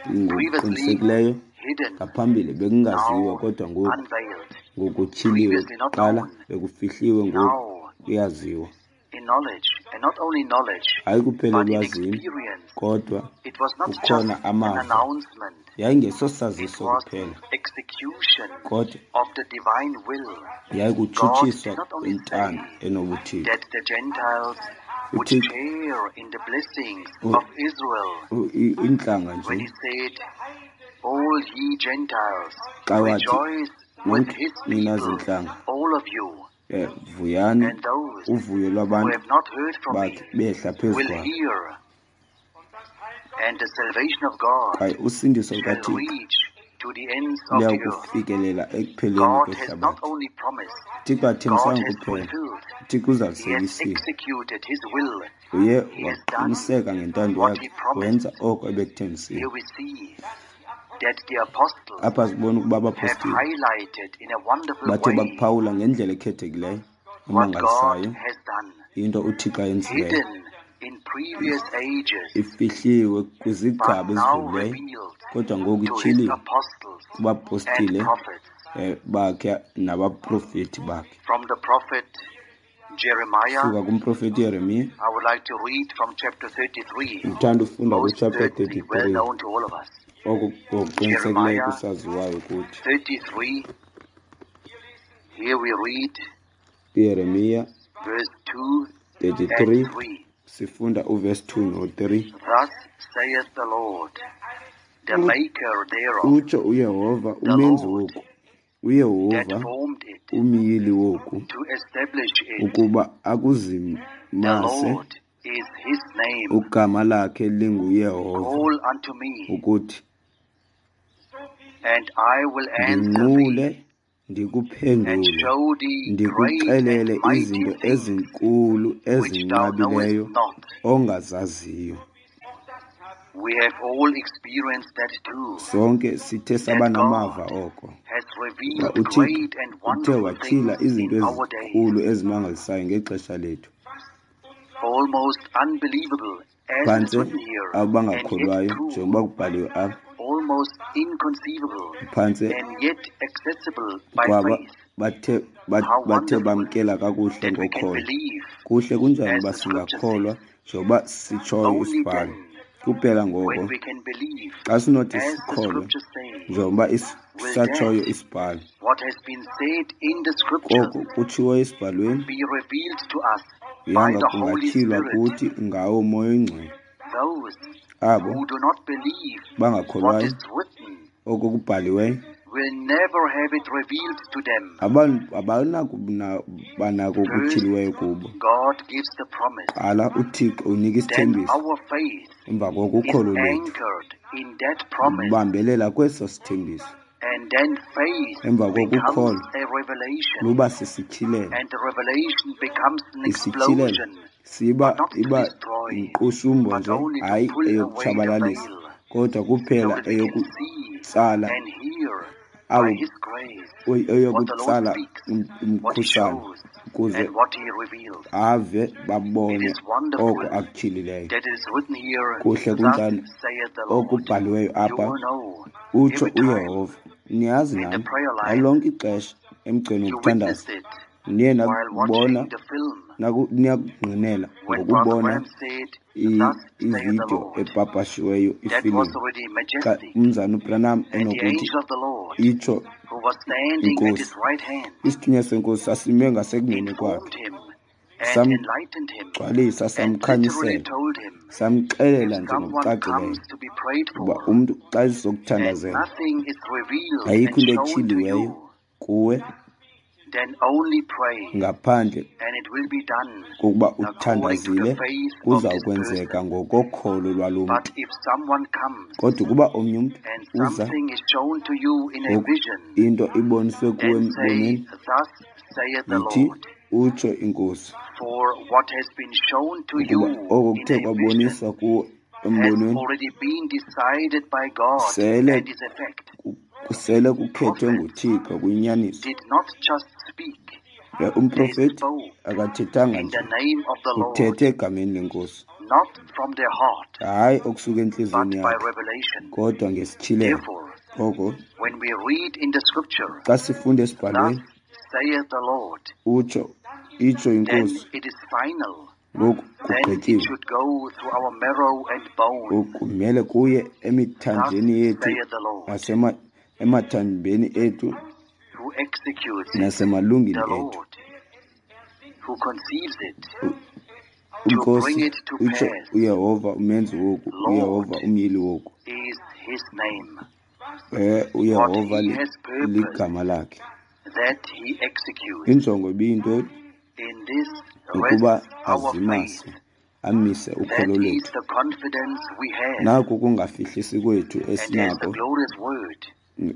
Speaker 1: Previously
Speaker 2: Ngokuqinisekileyo
Speaker 1: hidden,
Speaker 2: ngaphambili bekungaziwa,
Speaker 1: now
Speaker 2: kodwa ngoku
Speaker 1: unveiled.
Speaker 2: ngokutyhiliwe.
Speaker 1: Previously not
Speaker 2: Kuqala
Speaker 1: known,
Speaker 2: bekufihliwe, ngoku
Speaker 1: now
Speaker 2: kuyaziwa.
Speaker 1: in knowledge, and not only knowledge,
Speaker 2: Hayi kuphela
Speaker 1: but in
Speaker 2: elwazini,
Speaker 1: experience.
Speaker 2: kodwa
Speaker 1: It was not just
Speaker 2: kukhona
Speaker 1: an
Speaker 2: amava.
Speaker 1: announcement, it
Speaker 2: Yayingesosaziso
Speaker 1: was
Speaker 2: kuphela,
Speaker 1: execution
Speaker 2: kodwa
Speaker 1: of the divine will. God
Speaker 2: yayikutshutshiswa
Speaker 1: did not only
Speaker 2: kwentando
Speaker 1: say
Speaker 2: enobuthixo.
Speaker 1: that the Gentiles would
Speaker 2: uThixo
Speaker 1: share in the blessings of Israel
Speaker 2: iintlanga
Speaker 1: when
Speaker 2: nje
Speaker 1: he said, All ye Gentiles,
Speaker 2: xa wathi
Speaker 1: rejoice with
Speaker 2: nonke
Speaker 1: his
Speaker 2: nina
Speaker 1: people,
Speaker 2: zintlanga,
Speaker 1: all of you,
Speaker 2: vuyani
Speaker 1: and those
Speaker 2: uvuyo
Speaker 1: who
Speaker 2: lwabantu
Speaker 1: have not heard from me
Speaker 2: bakhe behla phezu
Speaker 1: will
Speaker 2: kwakhe,
Speaker 1: hear, and the salvation of God
Speaker 2: kwaye usindiso
Speaker 1: shall
Speaker 2: lukaThixo
Speaker 1: reach to the ends of the earth.
Speaker 2: luyakufikelela ekupheleni
Speaker 1: God has not
Speaker 2: kwehlabathi.
Speaker 1: only promised,
Speaker 2: uThixo
Speaker 1: God
Speaker 2: athembisanga
Speaker 1: has
Speaker 2: kuphela,
Speaker 1: fulfilled.
Speaker 2: uThixo
Speaker 1: He has
Speaker 2: uzalisekisile.
Speaker 1: executed his will.
Speaker 2: Uye
Speaker 1: He has done
Speaker 2: waqiniseka ngentando
Speaker 1: what
Speaker 2: yakhe,
Speaker 1: he promised.
Speaker 2: wenza oko ebekuthembisile.
Speaker 1: Here we see that the apostles
Speaker 2: Apha sibona ukuba
Speaker 1: have
Speaker 2: abapostile
Speaker 1: highlighted in a wonderful
Speaker 2: bathe
Speaker 1: way
Speaker 2: bakuphawula ngendlela ekhethekileyo
Speaker 1: what God
Speaker 2: emangalisayo
Speaker 1: has done,
Speaker 2: into uThixo ayenzileyo,
Speaker 1: hidden in previous ages,
Speaker 2: ifihliwe
Speaker 1: but
Speaker 2: kwizigaba
Speaker 1: now
Speaker 2: ezidlulileyo,
Speaker 1: revealed
Speaker 2: kodwa ngoku
Speaker 1: to his
Speaker 2: ityhiliwe
Speaker 1: apostles and
Speaker 2: kubapostile
Speaker 1: prophets.
Speaker 2: bakhe nabaprofeti bakhe.
Speaker 1: From the prophet Jeremiah,
Speaker 2: Suka kumprofeti Yeremiya,
Speaker 1: I would like to read from chapter 33,
Speaker 2: ndithanda ufunda
Speaker 1: most
Speaker 2: kuchapter
Speaker 1: certainly well
Speaker 2: 33,
Speaker 1: known to all of us.
Speaker 2: oko ngokuqinisekileyo
Speaker 1: Jeremiah
Speaker 2: kusaziwayo kuthi.
Speaker 1: 33, here we read
Speaker 2: Yeremiya
Speaker 1: verse 2 and
Speaker 2: 33
Speaker 1: 3.
Speaker 2: sifunda uverse 2 no-3.
Speaker 1: Thus saith the Lord, the maker thereof,
Speaker 2: Utsho uYehova
Speaker 1: the
Speaker 2: umenzi
Speaker 1: Lord
Speaker 2: woku,
Speaker 1: that
Speaker 2: uYehova
Speaker 1: formed it,
Speaker 2: umyili woku,
Speaker 1: to establish it.
Speaker 2: ukuba
Speaker 1: The
Speaker 2: akuzimase
Speaker 1: Lord is his name.
Speaker 2: Ugama lakhe linguYehova,
Speaker 1: Call unto me,
Speaker 2: ukuthi
Speaker 1: and I will answer
Speaker 2: ndinqule
Speaker 1: thee, and
Speaker 2: ndikuphendule,
Speaker 1: show thee great and
Speaker 2: ndikuxelele
Speaker 1: mighty
Speaker 2: izinto
Speaker 1: things
Speaker 2: ezinkulu
Speaker 1: which thou knowest
Speaker 2: ezinqabileyo
Speaker 1: not.
Speaker 2: ongazaziyo.
Speaker 1: We have all experienced that too,
Speaker 2: Sonke sithe
Speaker 1: that
Speaker 2: saba namava
Speaker 1: God
Speaker 2: oko.
Speaker 1: has
Speaker 2: Uba
Speaker 1: revealed
Speaker 2: uThixo
Speaker 1: great and
Speaker 2: uthe
Speaker 1: wonderful
Speaker 2: watyhila
Speaker 1: things
Speaker 2: izinto
Speaker 1: in our days,
Speaker 2: ezinkulu ezimangalisayo ngexesha lethu.
Speaker 1: almost unbelievable as it is
Speaker 2: Phantse
Speaker 1: written here, and yet
Speaker 2: abangakholwayo,
Speaker 1: true,
Speaker 2: njengoba kubhaliwe apha,
Speaker 1: almost inconceivable,
Speaker 2: phantse
Speaker 1: and yet accessible by
Speaker 2: kwaba
Speaker 1: faith.
Speaker 2: bathe
Speaker 1: How
Speaker 2: bathe
Speaker 1: wonderful
Speaker 2: bamkela kakuhle
Speaker 1: that we can
Speaker 2: ngokholo.
Speaker 1: believe,
Speaker 2: Kuhle kunjani
Speaker 1: as
Speaker 2: uba
Speaker 1: the scripture
Speaker 2: singakholwa
Speaker 1: says.
Speaker 2: njengoba sitshoyo
Speaker 1: Only
Speaker 2: isibhalo.
Speaker 1: then,
Speaker 2: Kuphela
Speaker 1: when
Speaker 2: ngoko
Speaker 1: we can believe,
Speaker 2: xa sinothi
Speaker 1: as the
Speaker 2: sikholwe
Speaker 1: scripture says,
Speaker 2: njengoba
Speaker 1: will
Speaker 2: satshoyo
Speaker 1: that
Speaker 2: isibhalo,
Speaker 1: what has been said in the scriptures
Speaker 2: koko kutshiwo esibhalweni
Speaker 1: be revealed to us by
Speaker 2: yanga
Speaker 1: the Holy
Speaker 2: kungatyhilwa
Speaker 1: Spirit.
Speaker 2: kuthi ngawo Moya oyiNgcwele.
Speaker 1: Those
Speaker 2: Abo
Speaker 1: who do not believe what
Speaker 2: bangakholwayo
Speaker 1: is written
Speaker 2: oko kubhaliweyo
Speaker 1: will never have it revealed to them.
Speaker 2: Abanakuba nako
Speaker 1: First,
Speaker 2: okutyhiliweyo kubo.
Speaker 1: God gives the promise.
Speaker 2: Qala uThixo unika
Speaker 1: Then
Speaker 2: isithembiso,
Speaker 1: our faith
Speaker 2: emva koko
Speaker 1: is
Speaker 2: ukholo lwethu
Speaker 1: anchored in that promise.
Speaker 2: lubambelela kweso sithembiso.
Speaker 1: And then faith
Speaker 2: Emva koko
Speaker 1: becomes
Speaker 2: ukholo
Speaker 1: a revelation.
Speaker 2: luba sisityhilelo.
Speaker 1: And the revelation becomes an
Speaker 2: Isityhilelo
Speaker 1: explosion,
Speaker 2: siba
Speaker 1: but not to
Speaker 2: iba
Speaker 1: destroy,
Speaker 2: yinkqusumbo
Speaker 1: but
Speaker 2: nje,
Speaker 1: only to
Speaker 2: hayi
Speaker 1: pull away the
Speaker 2: eyokutshabalalisa,
Speaker 1: veil,
Speaker 2: kodwa
Speaker 1: so
Speaker 2: kuphela
Speaker 1: that we can see
Speaker 2: eyokutsala
Speaker 1: and hear by
Speaker 2: abo
Speaker 1: His grace what the Lord
Speaker 2: eyokutsala
Speaker 1: speaks, what He
Speaker 2: umkhusane
Speaker 1: shows,
Speaker 2: ukuze
Speaker 1: and what He reveals.
Speaker 2: ave
Speaker 1: It
Speaker 2: babone
Speaker 1: is wonderful
Speaker 2: oko akutyhilileyo.
Speaker 1: that it is written here,
Speaker 2: Kuhle
Speaker 1: Thus
Speaker 2: kunjani
Speaker 1: saith the Lord.
Speaker 2: okubhaliweyo
Speaker 1: You
Speaker 2: apha,
Speaker 1: will know
Speaker 2: utsho
Speaker 1: every time
Speaker 2: uYehova. Niyazi
Speaker 1: in the
Speaker 2: nani,
Speaker 1: prayer
Speaker 2: ngalo
Speaker 1: line
Speaker 2: lonke ixesha emgceni
Speaker 1: you
Speaker 2: wokuthandaza
Speaker 1: witnessed it
Speaker 2: niye
Speaker 1: while
Speaker 2: nakubona
Speaker 1: watching the film
Speaker 2: niyakungqinela
Speaker 1: when Brother
Speaker 2: ngokubona
Speaker 1: Branham said, Thus saith the
Speaker 2: ividiyo
Speaker 1: Lord.
Speaker 2: epapashiweyo
Speaker 1: That was
Speaker 2: ifilimu
Speaker 1: already
Speaker 2: xa
Speaker 1: majestic.
Speaker 2: umzana uBranham
Speaker 1: And the
Speaker 2: enokuthi
Speaker 1: angel of the Lord,
Speaker 2: itsho
Speaker 1: who was standing at
Speaker 2: inkosi.
Speaker 1: his right hand,
Speaker 2: Isithunywa senkosi sasime ngasekunene
Speaker 1: informed
Speaker 2: kwakhe,
Speaker 1: him and enlightened him
Speaker 2: samgcwalisa,
Speaker 1: and literally
Speaker 2: samkhanyisela,
Speaker 1: told him,
Speaker 2: samxelela
Speaker 1: if
Speaker 2: nje
Speaker 1: someone
Speaker 2: ngokucacileyo
Speaker 1: comes to be prayed
Speaker 2: uba
Speaker 1: for
Speaker 2: umntu xa
Speaker 1: and
Speaker 2: ezokuthandazela
Speaker 1: nothing is revealed
Speaker 2: ayikho
Speaker 1: and
Speaker 2: into
Speaker 1: shown to
Speaker 2: etyhiliweyo
Speaker 1: you,
Speaker 2: kuwe
Speaker 1: then only pray
Speaker 2: ngaphandle
Speaker 1: and it will be done
Speaker 2: kokuba
Speaker 1: according to the
Speaker 2: uthandazile,
Speaker 1: faith of
Speaker 2: kuza
Speaker 1: this
Speaker 2: kwenzeka
Speaker 1: person.
Speaker 2: ngokokholo lwalo
Speaker 1: But
Speaker 2: mntu.
Speaker 1: if someone comes
Speaker 2: Kodwa ukuba omnye umntu
Speaker 1: and
Speaker 2: uza
Speaker 1: something is shown to you in a
Speaker 2: ngoku
Speaker 1: vision,
Speaker 2: into iboniswe kuwe
Speaker 1: then say,
Speaker 2: embonweni,
Speaker 1: Thus saith the
Speaker 2: yithi
Speaker 1: Lord.
Speaker 2: utsho inkosi,
Speaker 1: For what has been shown to
Speaker 2: ukuba
Speaker 1: you
Speaker 2: oko
Speaker 1: in
Speaker 2: kuthe
Speaker 1: a vision
Speaker 2: kwaboniswa kuwe
Speaker 1: has
Speaker 2: embonweni
Speaker 1: already been decided by God
Speaker 2: sele
Speaker 1: and is a fact.
Speaker 2: sele kukhethwe
Speaker 1: Prophets
Speaker 2: nguThixo kuyinyaniso.
Speaker 1: did not just speak, they
Speaker 2: Umprofeti
Speaker 1: spoke
Speaker 2: akathethanga
Speaker 1: in
Speaker 2: nje,
Speaker 1: the name of the Lord,
Speaker 2: uthethe egameni lenkosi,
Speaker 1: not from their heart,
Speaker 2: hayi okusuka
Speaker 1: but
Speaker 2: entliziyweni
Speaker 1: by
Speaker 2: yakhe,
Speaker 1: revelation.
Speaker 2: kodwa ngesityhilelo.
Speaker 1: Therefore,
Speaker 2: Ngoko
Speaker 1: when we read in the scripture,
Speaker 2: xa sifunda
Speaker 1: Thus
Speaker 2: esibhalweni,
Speaker 1: saith the Lord,
Speaker 2: utsho itsho
Speaker 1: then
Speaker 2: inkosi,
Speaker 1: it is final.
Speaker 2: ngoku
Speaker 1: Then it
Speaker 2: kugqityiwe.
Speaker 1: should go through our marrow and bone.
Speaker 2: Kumele kuye
Speaker 1: Thus
Speaker 2: emithanjeni yethu
Speaker 1: saith the Lord,
Speaker 2: emathambeni ethu
Speaker 1: who executes it,
Speaker 2: nasemalungwini
Speaker 1: the
Speaker 2: ethu.
Speaker 1: Lord, who conceives it, to bring
Speaker 2: Inkosi
Speaker 1: it to
Speaker 2: utsho
Speaker 1: pass,
Speaker 2: uYehova umenzi woku,
Speaker 1: Lord
Speaker 2: uYehova umyili woku.
Speaker 1: is his name. What
Speaker 2: UYehova
Speaker 1: he has purposed,
Speaker 2: ligama lakhe.
Speaker 1: that he executes.
Speaker 2: Injongo ibiyintoni?
Speaker 1: In this
Speaker 2: Ukuba
Speaker 1: rests our faith.
Speaker 2: azimase, amise
Speaker 1: That
Speaker 2: ukholo
Speaker 1: is
Speaker 2: lwethu.
Speaker 1: the confidence we have.
Speaker 2: Naku kungafihlisi kwethu
Speaker 1: And as the
Speaker 2: esinako
Speaker 1: glorious word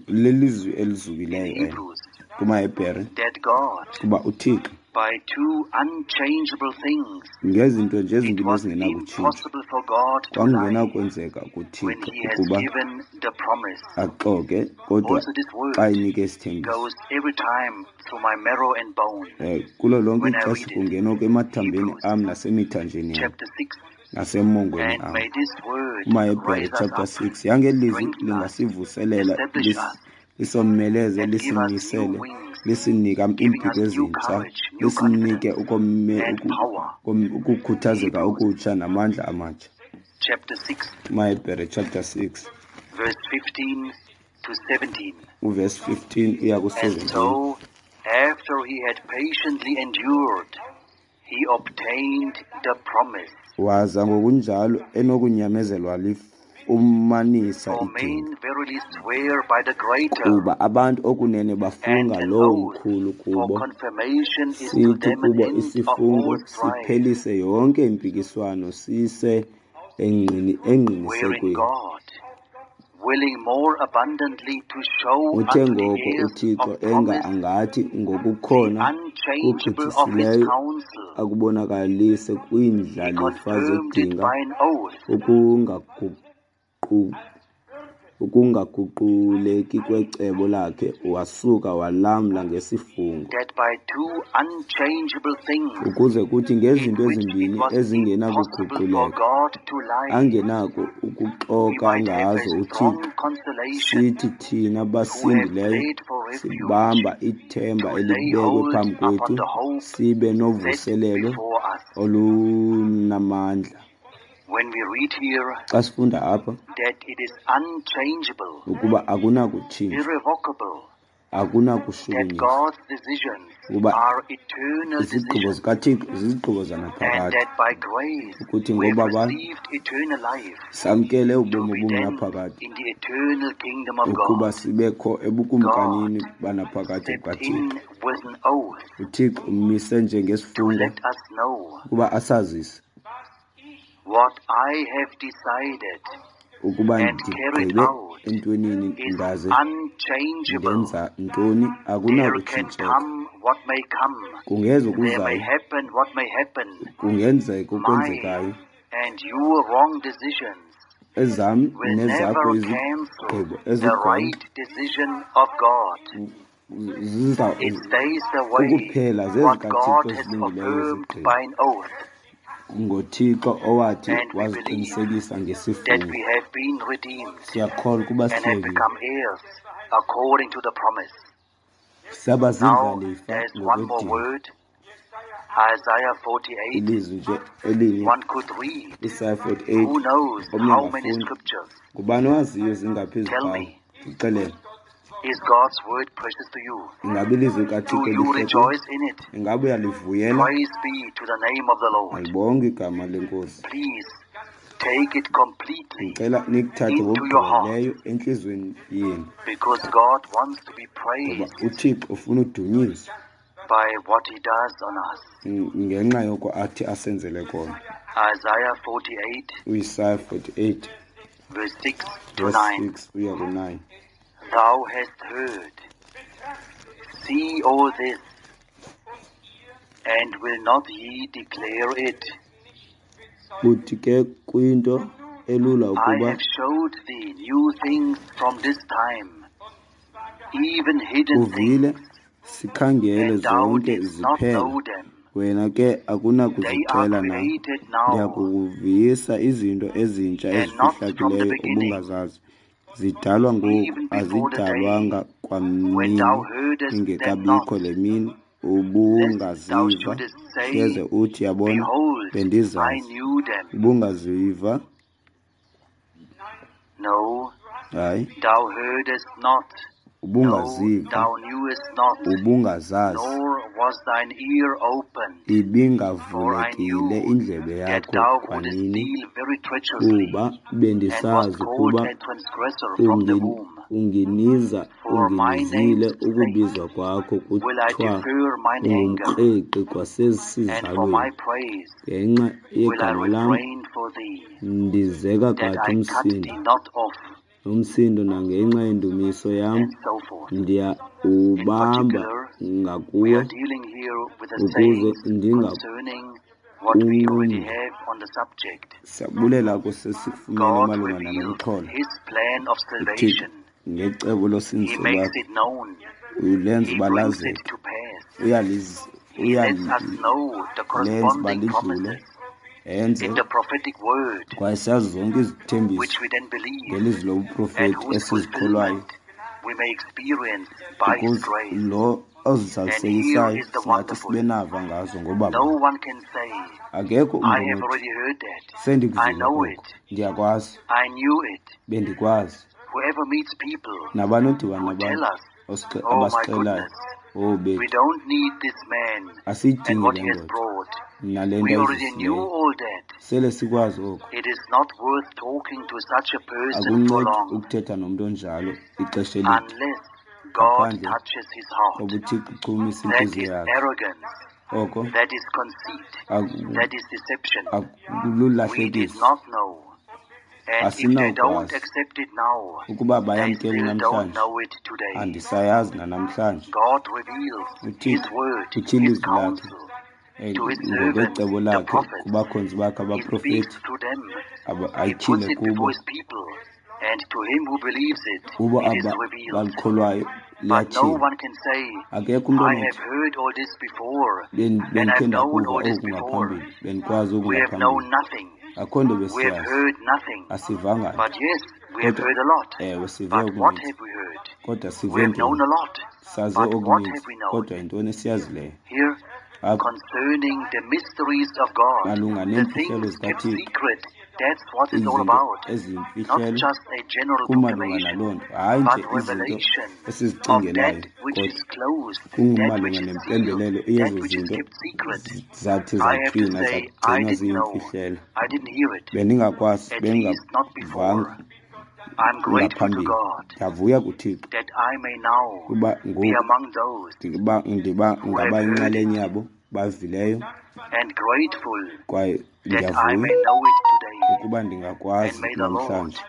Speaker 2: lelizwi
Speaker 1: in
Speaker 2: elizukileyo elo
Speaker 1: Hebrews,
Speaker 2: kumaHebhere,
Speaker 1: that God,
Speaker 2: kuba uThixo
Speaker 1: by two unchangeable things,
Speaker 2: ngezinto nje
Speaker 1: it
Speaker 2: ezimbini
Speaker 1: was
Speaker 2: ezingenakutshintsha,
Speaker 1: impossible for God to lie
Speaker 2: kwakungenakwenzeka
Speaker 1: when
Speaker 2: kuThixo
Speaker 1: he has
Speaker 2: ukuba
Speaker 1: given the promise.
Speaker 2: axoke, kodwa
Speaker 1: Also this
Speaker 2: xa
Speaker 1: word
Speaker 2: enike isithembiso,
Speaker 1: goes every time through my marrow and bone
Speaker 2: kulo lonke
Speaker 1: when I
Speaker 2: ixesha
Speaker 1: read it.
Speaker 2: kungenwa emathambeni
Speaker 1: Hebrews
Speaker 2: am nasemithanjeni yam
Speaker 1: chapter 6.
Speaker 2: nasemongweni
Speaker 1: And
Speaker 2: am.
Speaker 1: may this word
Speaker 2: KumaHebhere
Speaker 1: raise us
Speaker 2: chapter
Speaker 1: up,
Speaker 2: 6, yangeli lizwi
Speaker 1: strengthen us,
Speaker 2: lingasivuselela,
Speaker 1: establish us,
Speaker 2: lisomeleze,
Speaker 1: and give us new
Speaker 2: lisimisele,
Speaker 1: wings,
Speaker 2: lisinika
Speaker 1: giving
Speaker 2: iimpiko
Speaker 1: us new
Speaker 2: ezintsha,
Speaker 1: courage, new
Speaker 2: lisinike
Speaker 1: confidence, and power.
Speaker 2: ukukhuthazeka
Speaker 1: Hebrews
Speaker 2: okutsha namandla amatsha.
Speaker 1: chapter 6,
Speaker 2: KumaHebhere chapter 6,
Speaker 1: verse 15 to 17.
Speaker 2: uverse 15 uya
Speaker 1: And
Speaker 2: ku-17.
Speaker 1: so, after he had patiently endured, he obtained the promise.
Speaker 2: Waza ngokunjalo enokunyamezelwa umanisa
Speaker 1: For
Speaker 2: idinga.
Speaker 1: men verily swear by the greater,
Speaker 2: Kuba abantu okunene
Speaker 1: and
Speaker 2: bafunga
Speaker 1: an
Speaker 2: lowo
Speaker 1: oath
Speaker 2: mkhulu
Speaker 1: for
Speaker 2: kubo,
Speaker 1: confirmation is to
Speaker 2: sithi
Speaker 1: them an
Speaker 2: kubo
Speaker 1: end of
Speaker 2: isifungo
Speaker 1: all strife,
Speaker 2: siphelise yonke impikiswano sise
Speaker 1: wherein
Speaker 2: engqinisekweni.
Speaker 1: God, willing more abundantly to show
Speaker 2: Uthe
Speaker 1: unto the
Speaker 2: ngoko
Speaker 1: heirs
Speaker 2: uThixo
Speaker 1: of
Speaker 2: enga
Speaker 1: promise
Speaker 2: angathi
Speaker 1: the
Speaker 2: ngokukhona
Speaker 1: unchangeable of his
Speaker 2: kugqithisileyo
Speaker 1: counsel,
Speaker 2: akubonakalise
Speaker 1: he
Speaker 2: kwiindlalifa
Speaker 1: confirmed it
Speaker 2: zedinga
Speaker 1: by an oath,
Speaker 2: ukungaguquleki kwecebo lakhe, wasuka walamla ngesifungo,
Speaker 1: that by two unchangeable things,
Speaker 2: ukuze kuthi
Speaker 1: in
Speaker 2: ngezinto
Speaker 1: which it
Speaker 2: ezimbini
Speaker 1: was impossible for
Speaker 2: ezingenakuguquleka
Speaker 1: God to lie,
Speaker 2: angenako
Speaker 1: we
Speaker 2: ukuxoka
Speaker 1: might have a
Speaker 2: ngazo
Speaker 1: strong
Speaker 2: uThixo,
Speaker 1: consolation
Speaker 2: sithi thina
Speaker 1: who have
Speaker 2: basindileyo
Speaker 1: fled for refuge
Speaker 2: sibamba ithemba
Speaker 1: to lay
Speaker 2: elibekwe
Speaker 1: hold
Speaker 2: phambi
Speaker 1: upon
Speaker 2: kwethu,
Speaker 1: the hope
Speaker 2: sibe
Speaker 1: set
Speaker 2: novuselelo
Speaker 1: before us.
Speaker 2: olunamandla.
Speaker 1: When we read here
Speaker 2: Xa sifunda apha
Speaker 1: that it is unchangeable,
Speaker 2: ukuba akunakutshintsha,
Speaker 1: irrevocable, that
Speaker 2: akunakushukunyiswa,
Speaker 1: God's decisions
Speaker 2: ukuba
Speaker 1: are eternal
Speaker 2: izigqibo
Speaker 1: decisions,
Speaker 2: zikaThixo zizigqibo
Speaker 1: and
Speaker 2: zanaphakade,
Speaker 1: that by grace
Speaker 2: ukuthi
Speaker 1: we have
Speaker 2: ngobabalo
Speaker 1: received eternal life
Speaker 2: samkele
Speaker 1: to
Speaker 2: ubomi
Speaker 1: be then
Speaker 2: obungunaphakade,
Speaker 1: in the eternal kingdom of
Speaker 2: ukuba
Speaker 1: God.
Speaker 2: sibekho
Speaker 1: God
Speaker 2: ebukumkanini banaphakade
Speaker 1: stepped
Speaker 2: bukaThixo.
Speaker 1: in with an oath
Speaker 2: UThixo umise
Speaker 1: to
Speaker 2: njengesifungo
Speaker 1: let us know
Speaker 2: ukuba asazise
Speaker 1: what I have decided
Speaker 2: ukuba
Speaker 1: and carried
Speaker 2: ndigqibe
Speaker 1: out
Speaker 2: entwenini
Speaker 1: is
Speaker 2: ndaze
Speaker 1: unchangeable.
Speaker 2: ndenza ntoni,
Speaker 1: There can
Speaker 2: akunakutshintseka.
Speaker 1: come what may come.
Speaker 2: Kungeza
Speaker 1: There may
Speaker 2: okuzayo,
Speaker 1: happen what may happen.
Speaker 2: kungenzeka
Speaker 1: My
Speaker 2: okwenzekayo.
Speaker 1: and your wrong decisions
Speaker 2: Ezam
Speaker 1: will
Speaker 2: nezakho
Speaker 1: never cancel
Speaker 2: izigqibo
Speaker 1: the
Speaker 2: ezigqondo
Speaker 1: right decision of God.
Speaker 2: ziza
Speaker 1: It stays the way
Speaker 2: ukuphela
Speaker 1: what
Speaker 2: zezikaThixo
Speaker 1: God has
Speaker 2: ezilungileyo
Speaker 1: affirmed
Speaker 2: izigqibo.
Speaker 1: by an oath.
Speaker 2: NgoThixo owathi
Speaker 1: And we believe
Speaker 2: waziqinisekisa
Speaker 1: that
Speaker 2: ngesifungo.
Speaker 1: we have been redeemed
Speaker 2: Siyakholwa ukuba
Speaker 1: and have
Speaker 2: sihlengiwe,
Speaker 1: become heirs according to the promise.
Speaker 2: saba
Speaker 1: Now,
Speaker 2: ziindlalifa
Speaker 1: there's one more
Speaker 2: ngokwedinga.
Speaker 1: word, Isaiah 48.
Speaker 2: Ilizwi nje elinye,
Speaker 1: One could read,
Speaker 2: Isaya 48,
Speaker 1: who knows
Speaker 2: omnye
Speaker 1: how many
Speaker 2: angafunda.
Speaker 1: scriptures.
Speaker 2: Ngubani owaziyo zingaphi
Speaker 1: Tell
Speaker 2: izibhalo?
Speaker 1: me,
Speaker 2: Ndixelele,
Speaker 1: is God's word precious to you?
Speaker 2: ingaba ilizwi
Speaker 1: Do
Speaker 2: likaThixo
Speaker 1: you
Speaker 2: lihle kuwe?
Speaker 1: rejoice in it?
Speaker 2: Ingaba uyalivuyela?
Speaker 1: Praise be to the name of the Lord.
Speaker 2: Malibongwe igama lenkosi.
Speaker 1: Please take it completely
Speaker 2: Ndicela nikuthathe
Speaker 1: into your heart
Speaker 2: ngokugqibeleleyo entliziyweni yenu,
Speaker 1: because God wants to be
Speaker 2: ngoba
Speaker 1: praised
Speaker 2: uThixo ufuna udunyiswa
Speaker 1: by what he does on us.
Speaker 2: ngenxa yoko athi asenzele kona.
Speaker 1: Isaiah 48,
Speaker 2: UIsaya 48
Speaker 1: verse 6 to
Speaker 2: verse
Speaker 1: 9.
Speaker 2: 6 uya ku-9.
Speaker 1: Thou hast heard, see all this, and will not ye declare it?
Speaker 2: Uthi ke kwinto elula
Speaker 1: I
Speaker 2: ukuba
Speaker 1: have showed thee new things from this time, even hidden
Speaker 2: uvile,
Speaker 1: things,
Speaker 2: sikhangele
Speaker 1: and thou
Speaker 2: zonke
Speaker 1: didst not
Speaker 2: ziphela.
Speaker 1: know them.
Speaker 2: Wena ke
Speaker 1: They are
Speaker 2: akunakuzixela na.
Speaker 1: created now,
Speaker 2: Ndiyakukuvisa izinto ezintsha
Speaker 1: and not from the
Speaker 2: ezifihlakeleyo
Speaker 1: beginning,
Speaker 2: ubungazazi. Zidalwa ngoku,
Speaker 1: even before the day
Speaker 2: azidalwanga
Speaker 1: when
Speaker 2: kwamini
Speaker 1: thou heardest them
Speaker 2: ingekabikho
Speaker 1: not,
Speaker 2: le mini
Speaker 1: lest thou
Speaker 2: ubungaziva,
Speaker 1: shouldest say,
Speaker 2: hleze uthi, yabona,
Speaker 1: Behold, I
Speaker 2: bendizazi.
Speaker 1: knew them.
Speaker 2: Ubungaziva,
Speaker 1: No,
Speaker 2: hayi,
Speaker 1: thou heardest not, no,
Speaker 2: ubungaziva,
Speaker 1: thou knewest not,
Speaker 2: ubungazazi.
Speaker 1: nor was thine ear opened. For I
Speaker 2: Ibingavulekile
Speaker 1: knew
Speaker 2: indlebe
Speaker 1: that
Speaker 2: yakho
Speaker 1: thou wouldest
Speaker 2: kwanini,
Speaker 1: deal very treacherously,
Speaker 2: kuba
Speaker 1: and wast
Speaker 2: bendisazi
Speaker 1: called
Speaker 2: ukuba
Speaker 1: a transgressor from the womb. For my
Speaker 2: unginizile
Speaker 1: name's sake
Speaker 2: ukubizwa kwakho
Speaker 1: will I
Speaker 2: kuthiwa
Speaker 1: defer mine anger,
Speaker 2: ungumkreqi
Speaker 1: and for
Speaker 2: kwasesizalweni.
Speaker 1: my praise
Speaker 2: Ngenxa
Speaker 1: will I
Speaker 2: yegama lam
Speaker 1: refrain for thee,
Speaker 2: ndizeka
Speaker 1: that
Speaker 2: kade
Speaker 1: I cut
Speaker 2: umsindo,
Speaker 1: thee not off,
Speaker 2: umsindo nangenxa yendumiso yam
Speaker 1: and so forth. In
Speaker 2: ndiyawubamba
Speaker 1: particular, we
Speaker 2: ngakuwe
Speaker 1: are dealing here with the
Speaker 2: ukuze
Speaker 1: sayings concerning what we already
Speaker 2: ndingakunqumli.
Speaker 1: have on the subject.
Speaker 2: Siyabulela kwesesikufumene
Speaker 1: God
Speaker 2: malunga nalo
Speaker 1: reveals
Speaker 2: mxholo.
Speaker 1: his plan of
Speaker 2: UThixo
Speaker 1: salvation.
Speaker 2: ngecebo
Speaker 1: He
Speaker 2: losindiso
Speaker 1: makes
Speaker 2: lwakhe
Speaker 1: it known.
Speaker 2: ulenza
Speaker 1: He
Speaker 2: uba
Speaker 1: brings it
Speaker 2: lazeke,
Speaker 1: to pass. He lets us know the
Speaker 2: uyalenza uba
Speaker 1: corresponding
Speaker 2: lidlule,
Speaker 1: promises
Speaker 2: enze
Speaker 1: in the prophetic word,
Speaker 2: kwaye siyazi zonke izithembiso
Speaker 1: which we then believe,
Speaker 2: ngelizwi
Speaker 1: and
Speaker 2: lobuprofeti
Speaker 1: whose
Speaker 2: esizikholwayo,
Speaker 1: fulfillment we may experience by his
Speaker 2: ukuze
Speaker 1: grace.
Speaker 2: lo
Speaker 1: And here
Speaker 2: ozizalisekisayo
Speaker 1: is the
Speaker 2: singathi
Speaker 1: wonderful.
Speaker 2: sibe nava ngazo ngoba
Speaker 1: No one can say,
Speaker 2: akekho
Speaker 1: I
Speaker 2: umntu
Speaker 1: have
Speaker 2: onothi
Speaker 1: already heard that. I
Speaker 2: sendikuvile
Speaker 1: know
Speaker 2: oko,
Speaker 1: it.
Speaker 2: ndiyakwazi,
Speaker 1: I knew it.
Speaker 2: bendikwazi.
Speaker 1: Whoever meets people
Speaker 2: Nabani odibana
Speaker 1: who tell
Speaker 2: nabantu
Speaker 1: us
Speaker 2: Abasixelayo. Oh
Speaker 1: We
Speaker 2: bethu,
Speaker 1: don't need this man and
Speaker 2: asiyidingi
Speaker 1: what
Speaker 2: le
Speaker 1: he has
Speaker 2: ndoda
Speaker 1: brought.
Speaker 2: nale
Speaker 1: We
Speaker 2: nto
Speaker 1: already knew
Speaker 2: ayizisileyo.
Speaker 1: all that.
Speaker 2: Sele sikwazi oku.
Speaker 1: It is not worth talking to such a person for
Speaker 2: Akuncedi
Speaker 1: long
Speaker 2: ukuthetha nomntu onjalo ixesha elide
Speaker 1: unless God
Speaker 2: ngaphandle
Speaker 1: touches his heart.
Speaker 2: koba uThixo uchumise
Speaker 1: That
Speaker 2: intliziyo
Speaker 1: is
Speaker 2: yakhe.
Speaker 1: arrogance.
Speaker 2: Oko
Speaker 1: That is conceit. That is deception. We did
Speaker 2: akululahlekiso.
Speaker 1: not know. And if they don't
Speaker 2: Asinawukwazi
Speaker 1: accept it now,
Speaker 2: ukuba
Speaker 1: they
Speaker 2: bayamkele
Speaker 1: still don't
Speaker 2: namhlanje.
Speaker 1: know it today.
Speaker 2: Andisayazi nanamhlanje.
Speaker 1: God reveals His
Speaker 2: UThixo
Speaker 1: word,
Speaker 2: utyhila
Speaker 1: His
Speaker 2: izwi lakhe
Speaker 1: counsel to His servants,
Speaker 2: ngokwecebo
Speaker 1: the
Speaker 2: lakhe
Speaker 1: prophets.
Speaker 2: kubakhonzi bakhe
Speaker 1: He speaks
Speaker 2: abaprofeti,
Speaker 1: to them. He puts
Speaker 2: ayityhile
Speaker 1: it before
Speaker 2: kubo.
Speaker 1: His people. And to him who believes it,
Speaker 2: Kubo
Speaker 1: it is
Speaker 2: aba
Speaker 1: revealed.
Speaker 2: balikholwayo
Speaker 1: But no
Speaker 2: liyatyhilwa.
Speaker 1: one can say,
Speaker 2: Akekho umntu
Speaker 1: I
Speaker 2: onothi
Speaker 1: have heard all this before, and I've
Speaker 2: bendikhe
Speaker 1: known
Speaker 2: ndakuva
Speaker 1: all this
Speaker 2: oku
Speaker 1: before.
Speaker 2: ngaphambili, bendikwazi oku
Speaker 1: We have known
Speaker 2: ngaphambili.
Speaker 1: nothing.
Speaker 2: Akho nto
Speaker 1: We have
Speaker 2: besiyazi,
Speaker 1: heard nothing.
Speaker 2: asivanga nto.
Speaker 1: But yes, we have
Speaker 2: Kodwa
Speaker 1: heard a lot.
Speaker 2: ewe, sive
Speaker 1: But what
Speaker 2: okuninzi.
Speaker 1: have we heard?
Speaker 2: Kodwa sive
Speaker 1: We have known
Speaker 2: ntoni?
Speaker 1: a lot.
Speaker 2: Saze
Speaker 1: But what
Speaker 2: okuninzi,
Speaker 1: have we known?
Speaker 2: kodwa yintoni esiyazileyo?
Speaker 1: Here,
Speaker 2: Apha
Speaker 1: concerning the mysteries of God,
Speaker 2: malunga
Speaker 1: the
Speaker 2: neemfihlelo
Speaker 1: things kept
Speaker 2: zikaThixo,
Speaker 1: secret, that's what it's all
Speaker 2: izinto
Speaker 1: about. Not
Speaker 2: eziyimfihlelo,
Speaker 1: just a general
Speaker 2: kumalunga
Speaker 1: proclamation,
Speaker 2: naloo nto, hayi
Speaker 1: but
Speaker 2: nje izinto
Speaker 1: revelation of
Speaker 2: esizicingelayo,
Speaker 1: that which
Speaker 2: kodwa
Speaker 1: is closed, that
Speaker 2: kumalunga
Speaker 1: which is sealed,
Speaker 2: nempembelelo
Speaker 1: that
Speaker 2: yezo
Speaker 1: which is
Speaker 2: zinto
Speaker 1: kept secret.
Speaker 2: zathi
Speaker 1: I have to
Speaker 2: zatywinwa
Speaker 1: say, I
Speaker 2: zagcinwa
Speaker 1: didn't know.
Speaker 2: ziyimfihlelo.
Speaker 1: I didn't hear it.
Speaker 2: Bendingakwazi,
Speaker 1: At least not before.
Speaker 2: bengingavanga
Speaker 1: I'm grateful to
Speaker 2: ngaphambili.
Speaker 1: God
Speaker 2: Ndiyavuya kuThixo
Speaker 1: that I may now
Speaker 2: kuba
Speaker 1: be
Speaker 2: ngoku
Speaker 1: among those
Speaker 2: ndiba ndiba
Speaker 1: who have
Speaker 2: ngaba
Speaker 1: heard it
Speaker 2: yinxalenye yabo bavileyo,
Speaker 1: and grateful
Speaker 2: kwaye
Speaker 1: that I
Speaker 2: ndiyavuya
Speaker 1: may know it today.
Speaker 2: ukuba
Speaker 1: And
Speaker 2: ndingakwazi
Speaker 1: may the Lord
Speaker 2: namhlanje.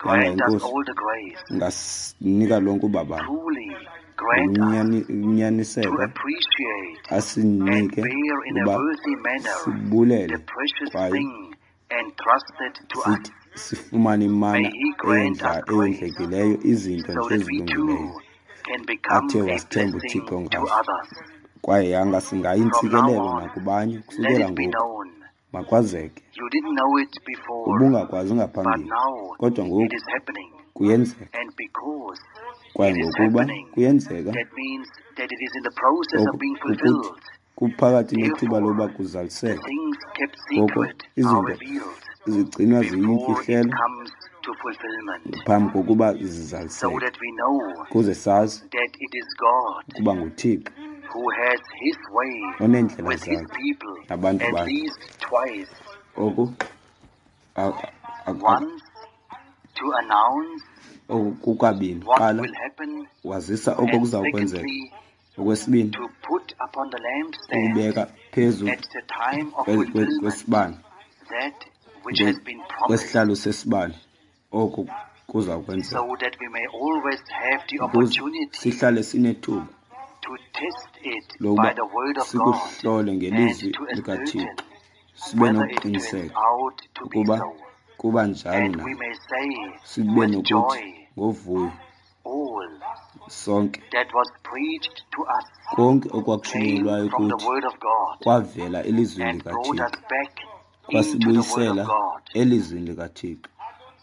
Speaker 2: Yanga
Speaker 1: grant us
Speaker 2: iNkosi
Speaker 1: all the grace,
Speaker 2: ingasinika lonke ubabalo
Speaker 1: truly grant us to
Speaker 2: ngokunyaniseka,
Speaker 1: appreciate and
Speaker 2: asinike
Speaker 1: bear in a
Speaker 2: uba
Speaker 1: worthy manner the
Speaker 2: sibulele
Speaker 1: precious
Speaker 2: kwaye
Speaker 1: thing entrusted to us.
Speaker 2: sithi sifumane
Speaker 1: May
Speaker 2: imana
Speaker 1: He grant us grace
Speaker 2: eyondlekileyo, izinto
Speaker 1: so
Speaker 2: nje
Speaker 1: that we
Speaker 2: ezilungileyo
Speaker 1: too can become
Speaker 2: athe
Speaker 1: a
Speaker 2: wasithemba
Speaker 1: blessing
Speaker 2: uThixo
Speaker 1: to
Speaker 2: ngazo.
Speaker 1: others.
Speaker 2: Kwaye yanga
Speaker 1: From now
Speaker 2: singayintsikelelo
Speaker 1: on,
Speaker 2: nakubanye
Speaker 1: let
Speaker 2: kusukela
Speaker 1: it be
Speaker 2: ngoku.
Speaker 1: known.
Speaker 2: Makwazeke
Speaker 1: You didn't know it before,
Speaker 2: ubungakwazi
Speaker 1: but
Speaker 2: ngaphambili,
Speaker 1: now
Speaker 2: kodwa
Speaker 1: it
Speaker 2: ngoku
Speaker 1: is happening.
Speaker 2: kuyenzeka.
Speaker 1: And because
Speaker 2: Kwaye
Speaker 1: it is
Speaker 2: ngokuba
Speaker 1: happening,
Speaker 2: kuyenzeka,
Speaker 1: that means that it is in the process of
Speaker 2: oku
Speaker 1: being
Speaker 2: kukuthi
Speaker 1: fulfilled.
Speaker 2: kuphakathi nethuba
Speaker 1: Therefore,
Speaker 2: loba
Speaker 1: the
Speaker 2: kuzaliseke.
Speaker 1: things kept
Speaker 2: Ngoko
Speaker 1: secret are
Speaker 2: izinto
Speaker 1: revealed
Speaker 2: zigcinwa
Speaker 1: before it
Speaker 2: ziyimfihlelo
Speaker 1: comes to fulfillment,
Speaker 2: phambi kokuba
Speaker 1: so
Speaker 2: zizaliseke,
Speaker 1: that we know
Speaker 2: kuze sazi
Speaker 1: that it is God
Speaker 2: ukuba nguThixo
Speaker 1: who has his way
Speaker 2: oneendlela
Speaker 1: with his
Speaker 2: zakhe
Speaker 1: people
Speaker 2: nabantu
Speaker 1: at
Speaker 2: bakhe.
Speaker 1: least twice.
Speaker 2: Oku
Speaker 1: Once to announce
Speaker 2: oku kukabini.
Speaker 1: what
Speaker 2: Qala
Speaker 1: will happen,
Speaker 2: wazisa oko
Speaker 1: and
Speaker 2: kuza kwenzeka.
Speaker 1: secondly,
Speaker 2: Okwesibini,
Speaker 1: to put upon the lampstand
Speaker 2: ukubeka phezu
Speaker 1: at the time of fulfillment
Speaker 2: kwesibane,
Speaker 1: that which has been promised,
Speaker 2: kwesihlalo sesibane, oko kuza kwenzeka,
Speaker 1: so that we may always have the
Speaker 2: ukuze
Speaker 1: opportunity
Speaker 2: sihlale sinethuba
Speaker 1: to test it by
Speaker 2: lokuba
Speaker 1: the word of God
Speaker 2: sikuhlole
Speaker 1: and
Speaker 2: ngelizwi
Speaker 1: to ascertain
Speaker 2: likaThixo, sibe
Speaker 1: whether it turns
Speaker 2: nokuqiniseka
Speaker 1: out to be
Speaker 2: ukuba
Speaker 1: so.
Speaker 2: kuba njalo
Speaker 1: And
Speaker 2: na.
Speaker 1: we may say
Speaker 2: Sibe
Speaker 1: with
Speaker 2: nokuthi
Speaker 1: joy,
Speaker 2: ngovuyo
Speaker 1: all
Speaker 2: sonke,
Speaker 1: that was preached to us
Speaker 2: konke
Speaker 1: came
Speaker 2: okwakushunyelwayo
Speaker 1: from the
Speaker 2: kuthi
Speaker 1: word of God
Speaker 2: kwavela elizwini
Speaker 1: and brought us
Speaker 2: likaThixo,
Speaker 1: back into the word of
Speaker 2: kwasibuyisela
Speaker 1: God.
Speaker 2: elizwini likaThixo.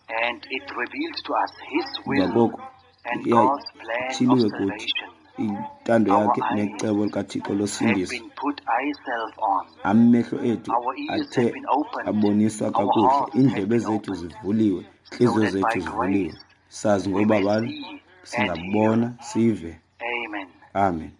Speaker 1: And it revealed to us his will
Speaker 2: Ngakoko
Speaker 1: and God's plan of
Speaker 2: yatyhiliwe kuthi
Speaker 1: salvation.
Speaker 2: intando
Speaker 1: Our
Speaker 2: yakhe
Speaker 1: eyes
Speaker 2: necebo likaThixo
Speaker 1: have
Speaker 2: losindiso.
Speaker 1: been put ourselves on.
Speaker 2: Amehlo ethu
Speaker 1: Our ears
Speaker 2: athe
Speaker 1: have been opened.
Speaker 2: aboniswa
Speaker 1: Our
Speaker 2: kakuhle,
Speaker 1: hearts have
Speaker 2: iindlebe
Speaker 1: been
Speaker 2: zethu
Speaker 1: opened.
Speaker 2: zivuliwe,
Speaker 1: So
Speaker 2: intliziyo
Speaker 1: that by
Speaker 2: zethu zivuliwe.
Speaker 1: grace
Speaker 2: Sazi
Speaker 1: we may
Speaker 2: ngobabalo,
Speaker 1: see and hear.
Speaker 2: singabona sive.
Speaker 1: Amen.
Speaker 2: Amen.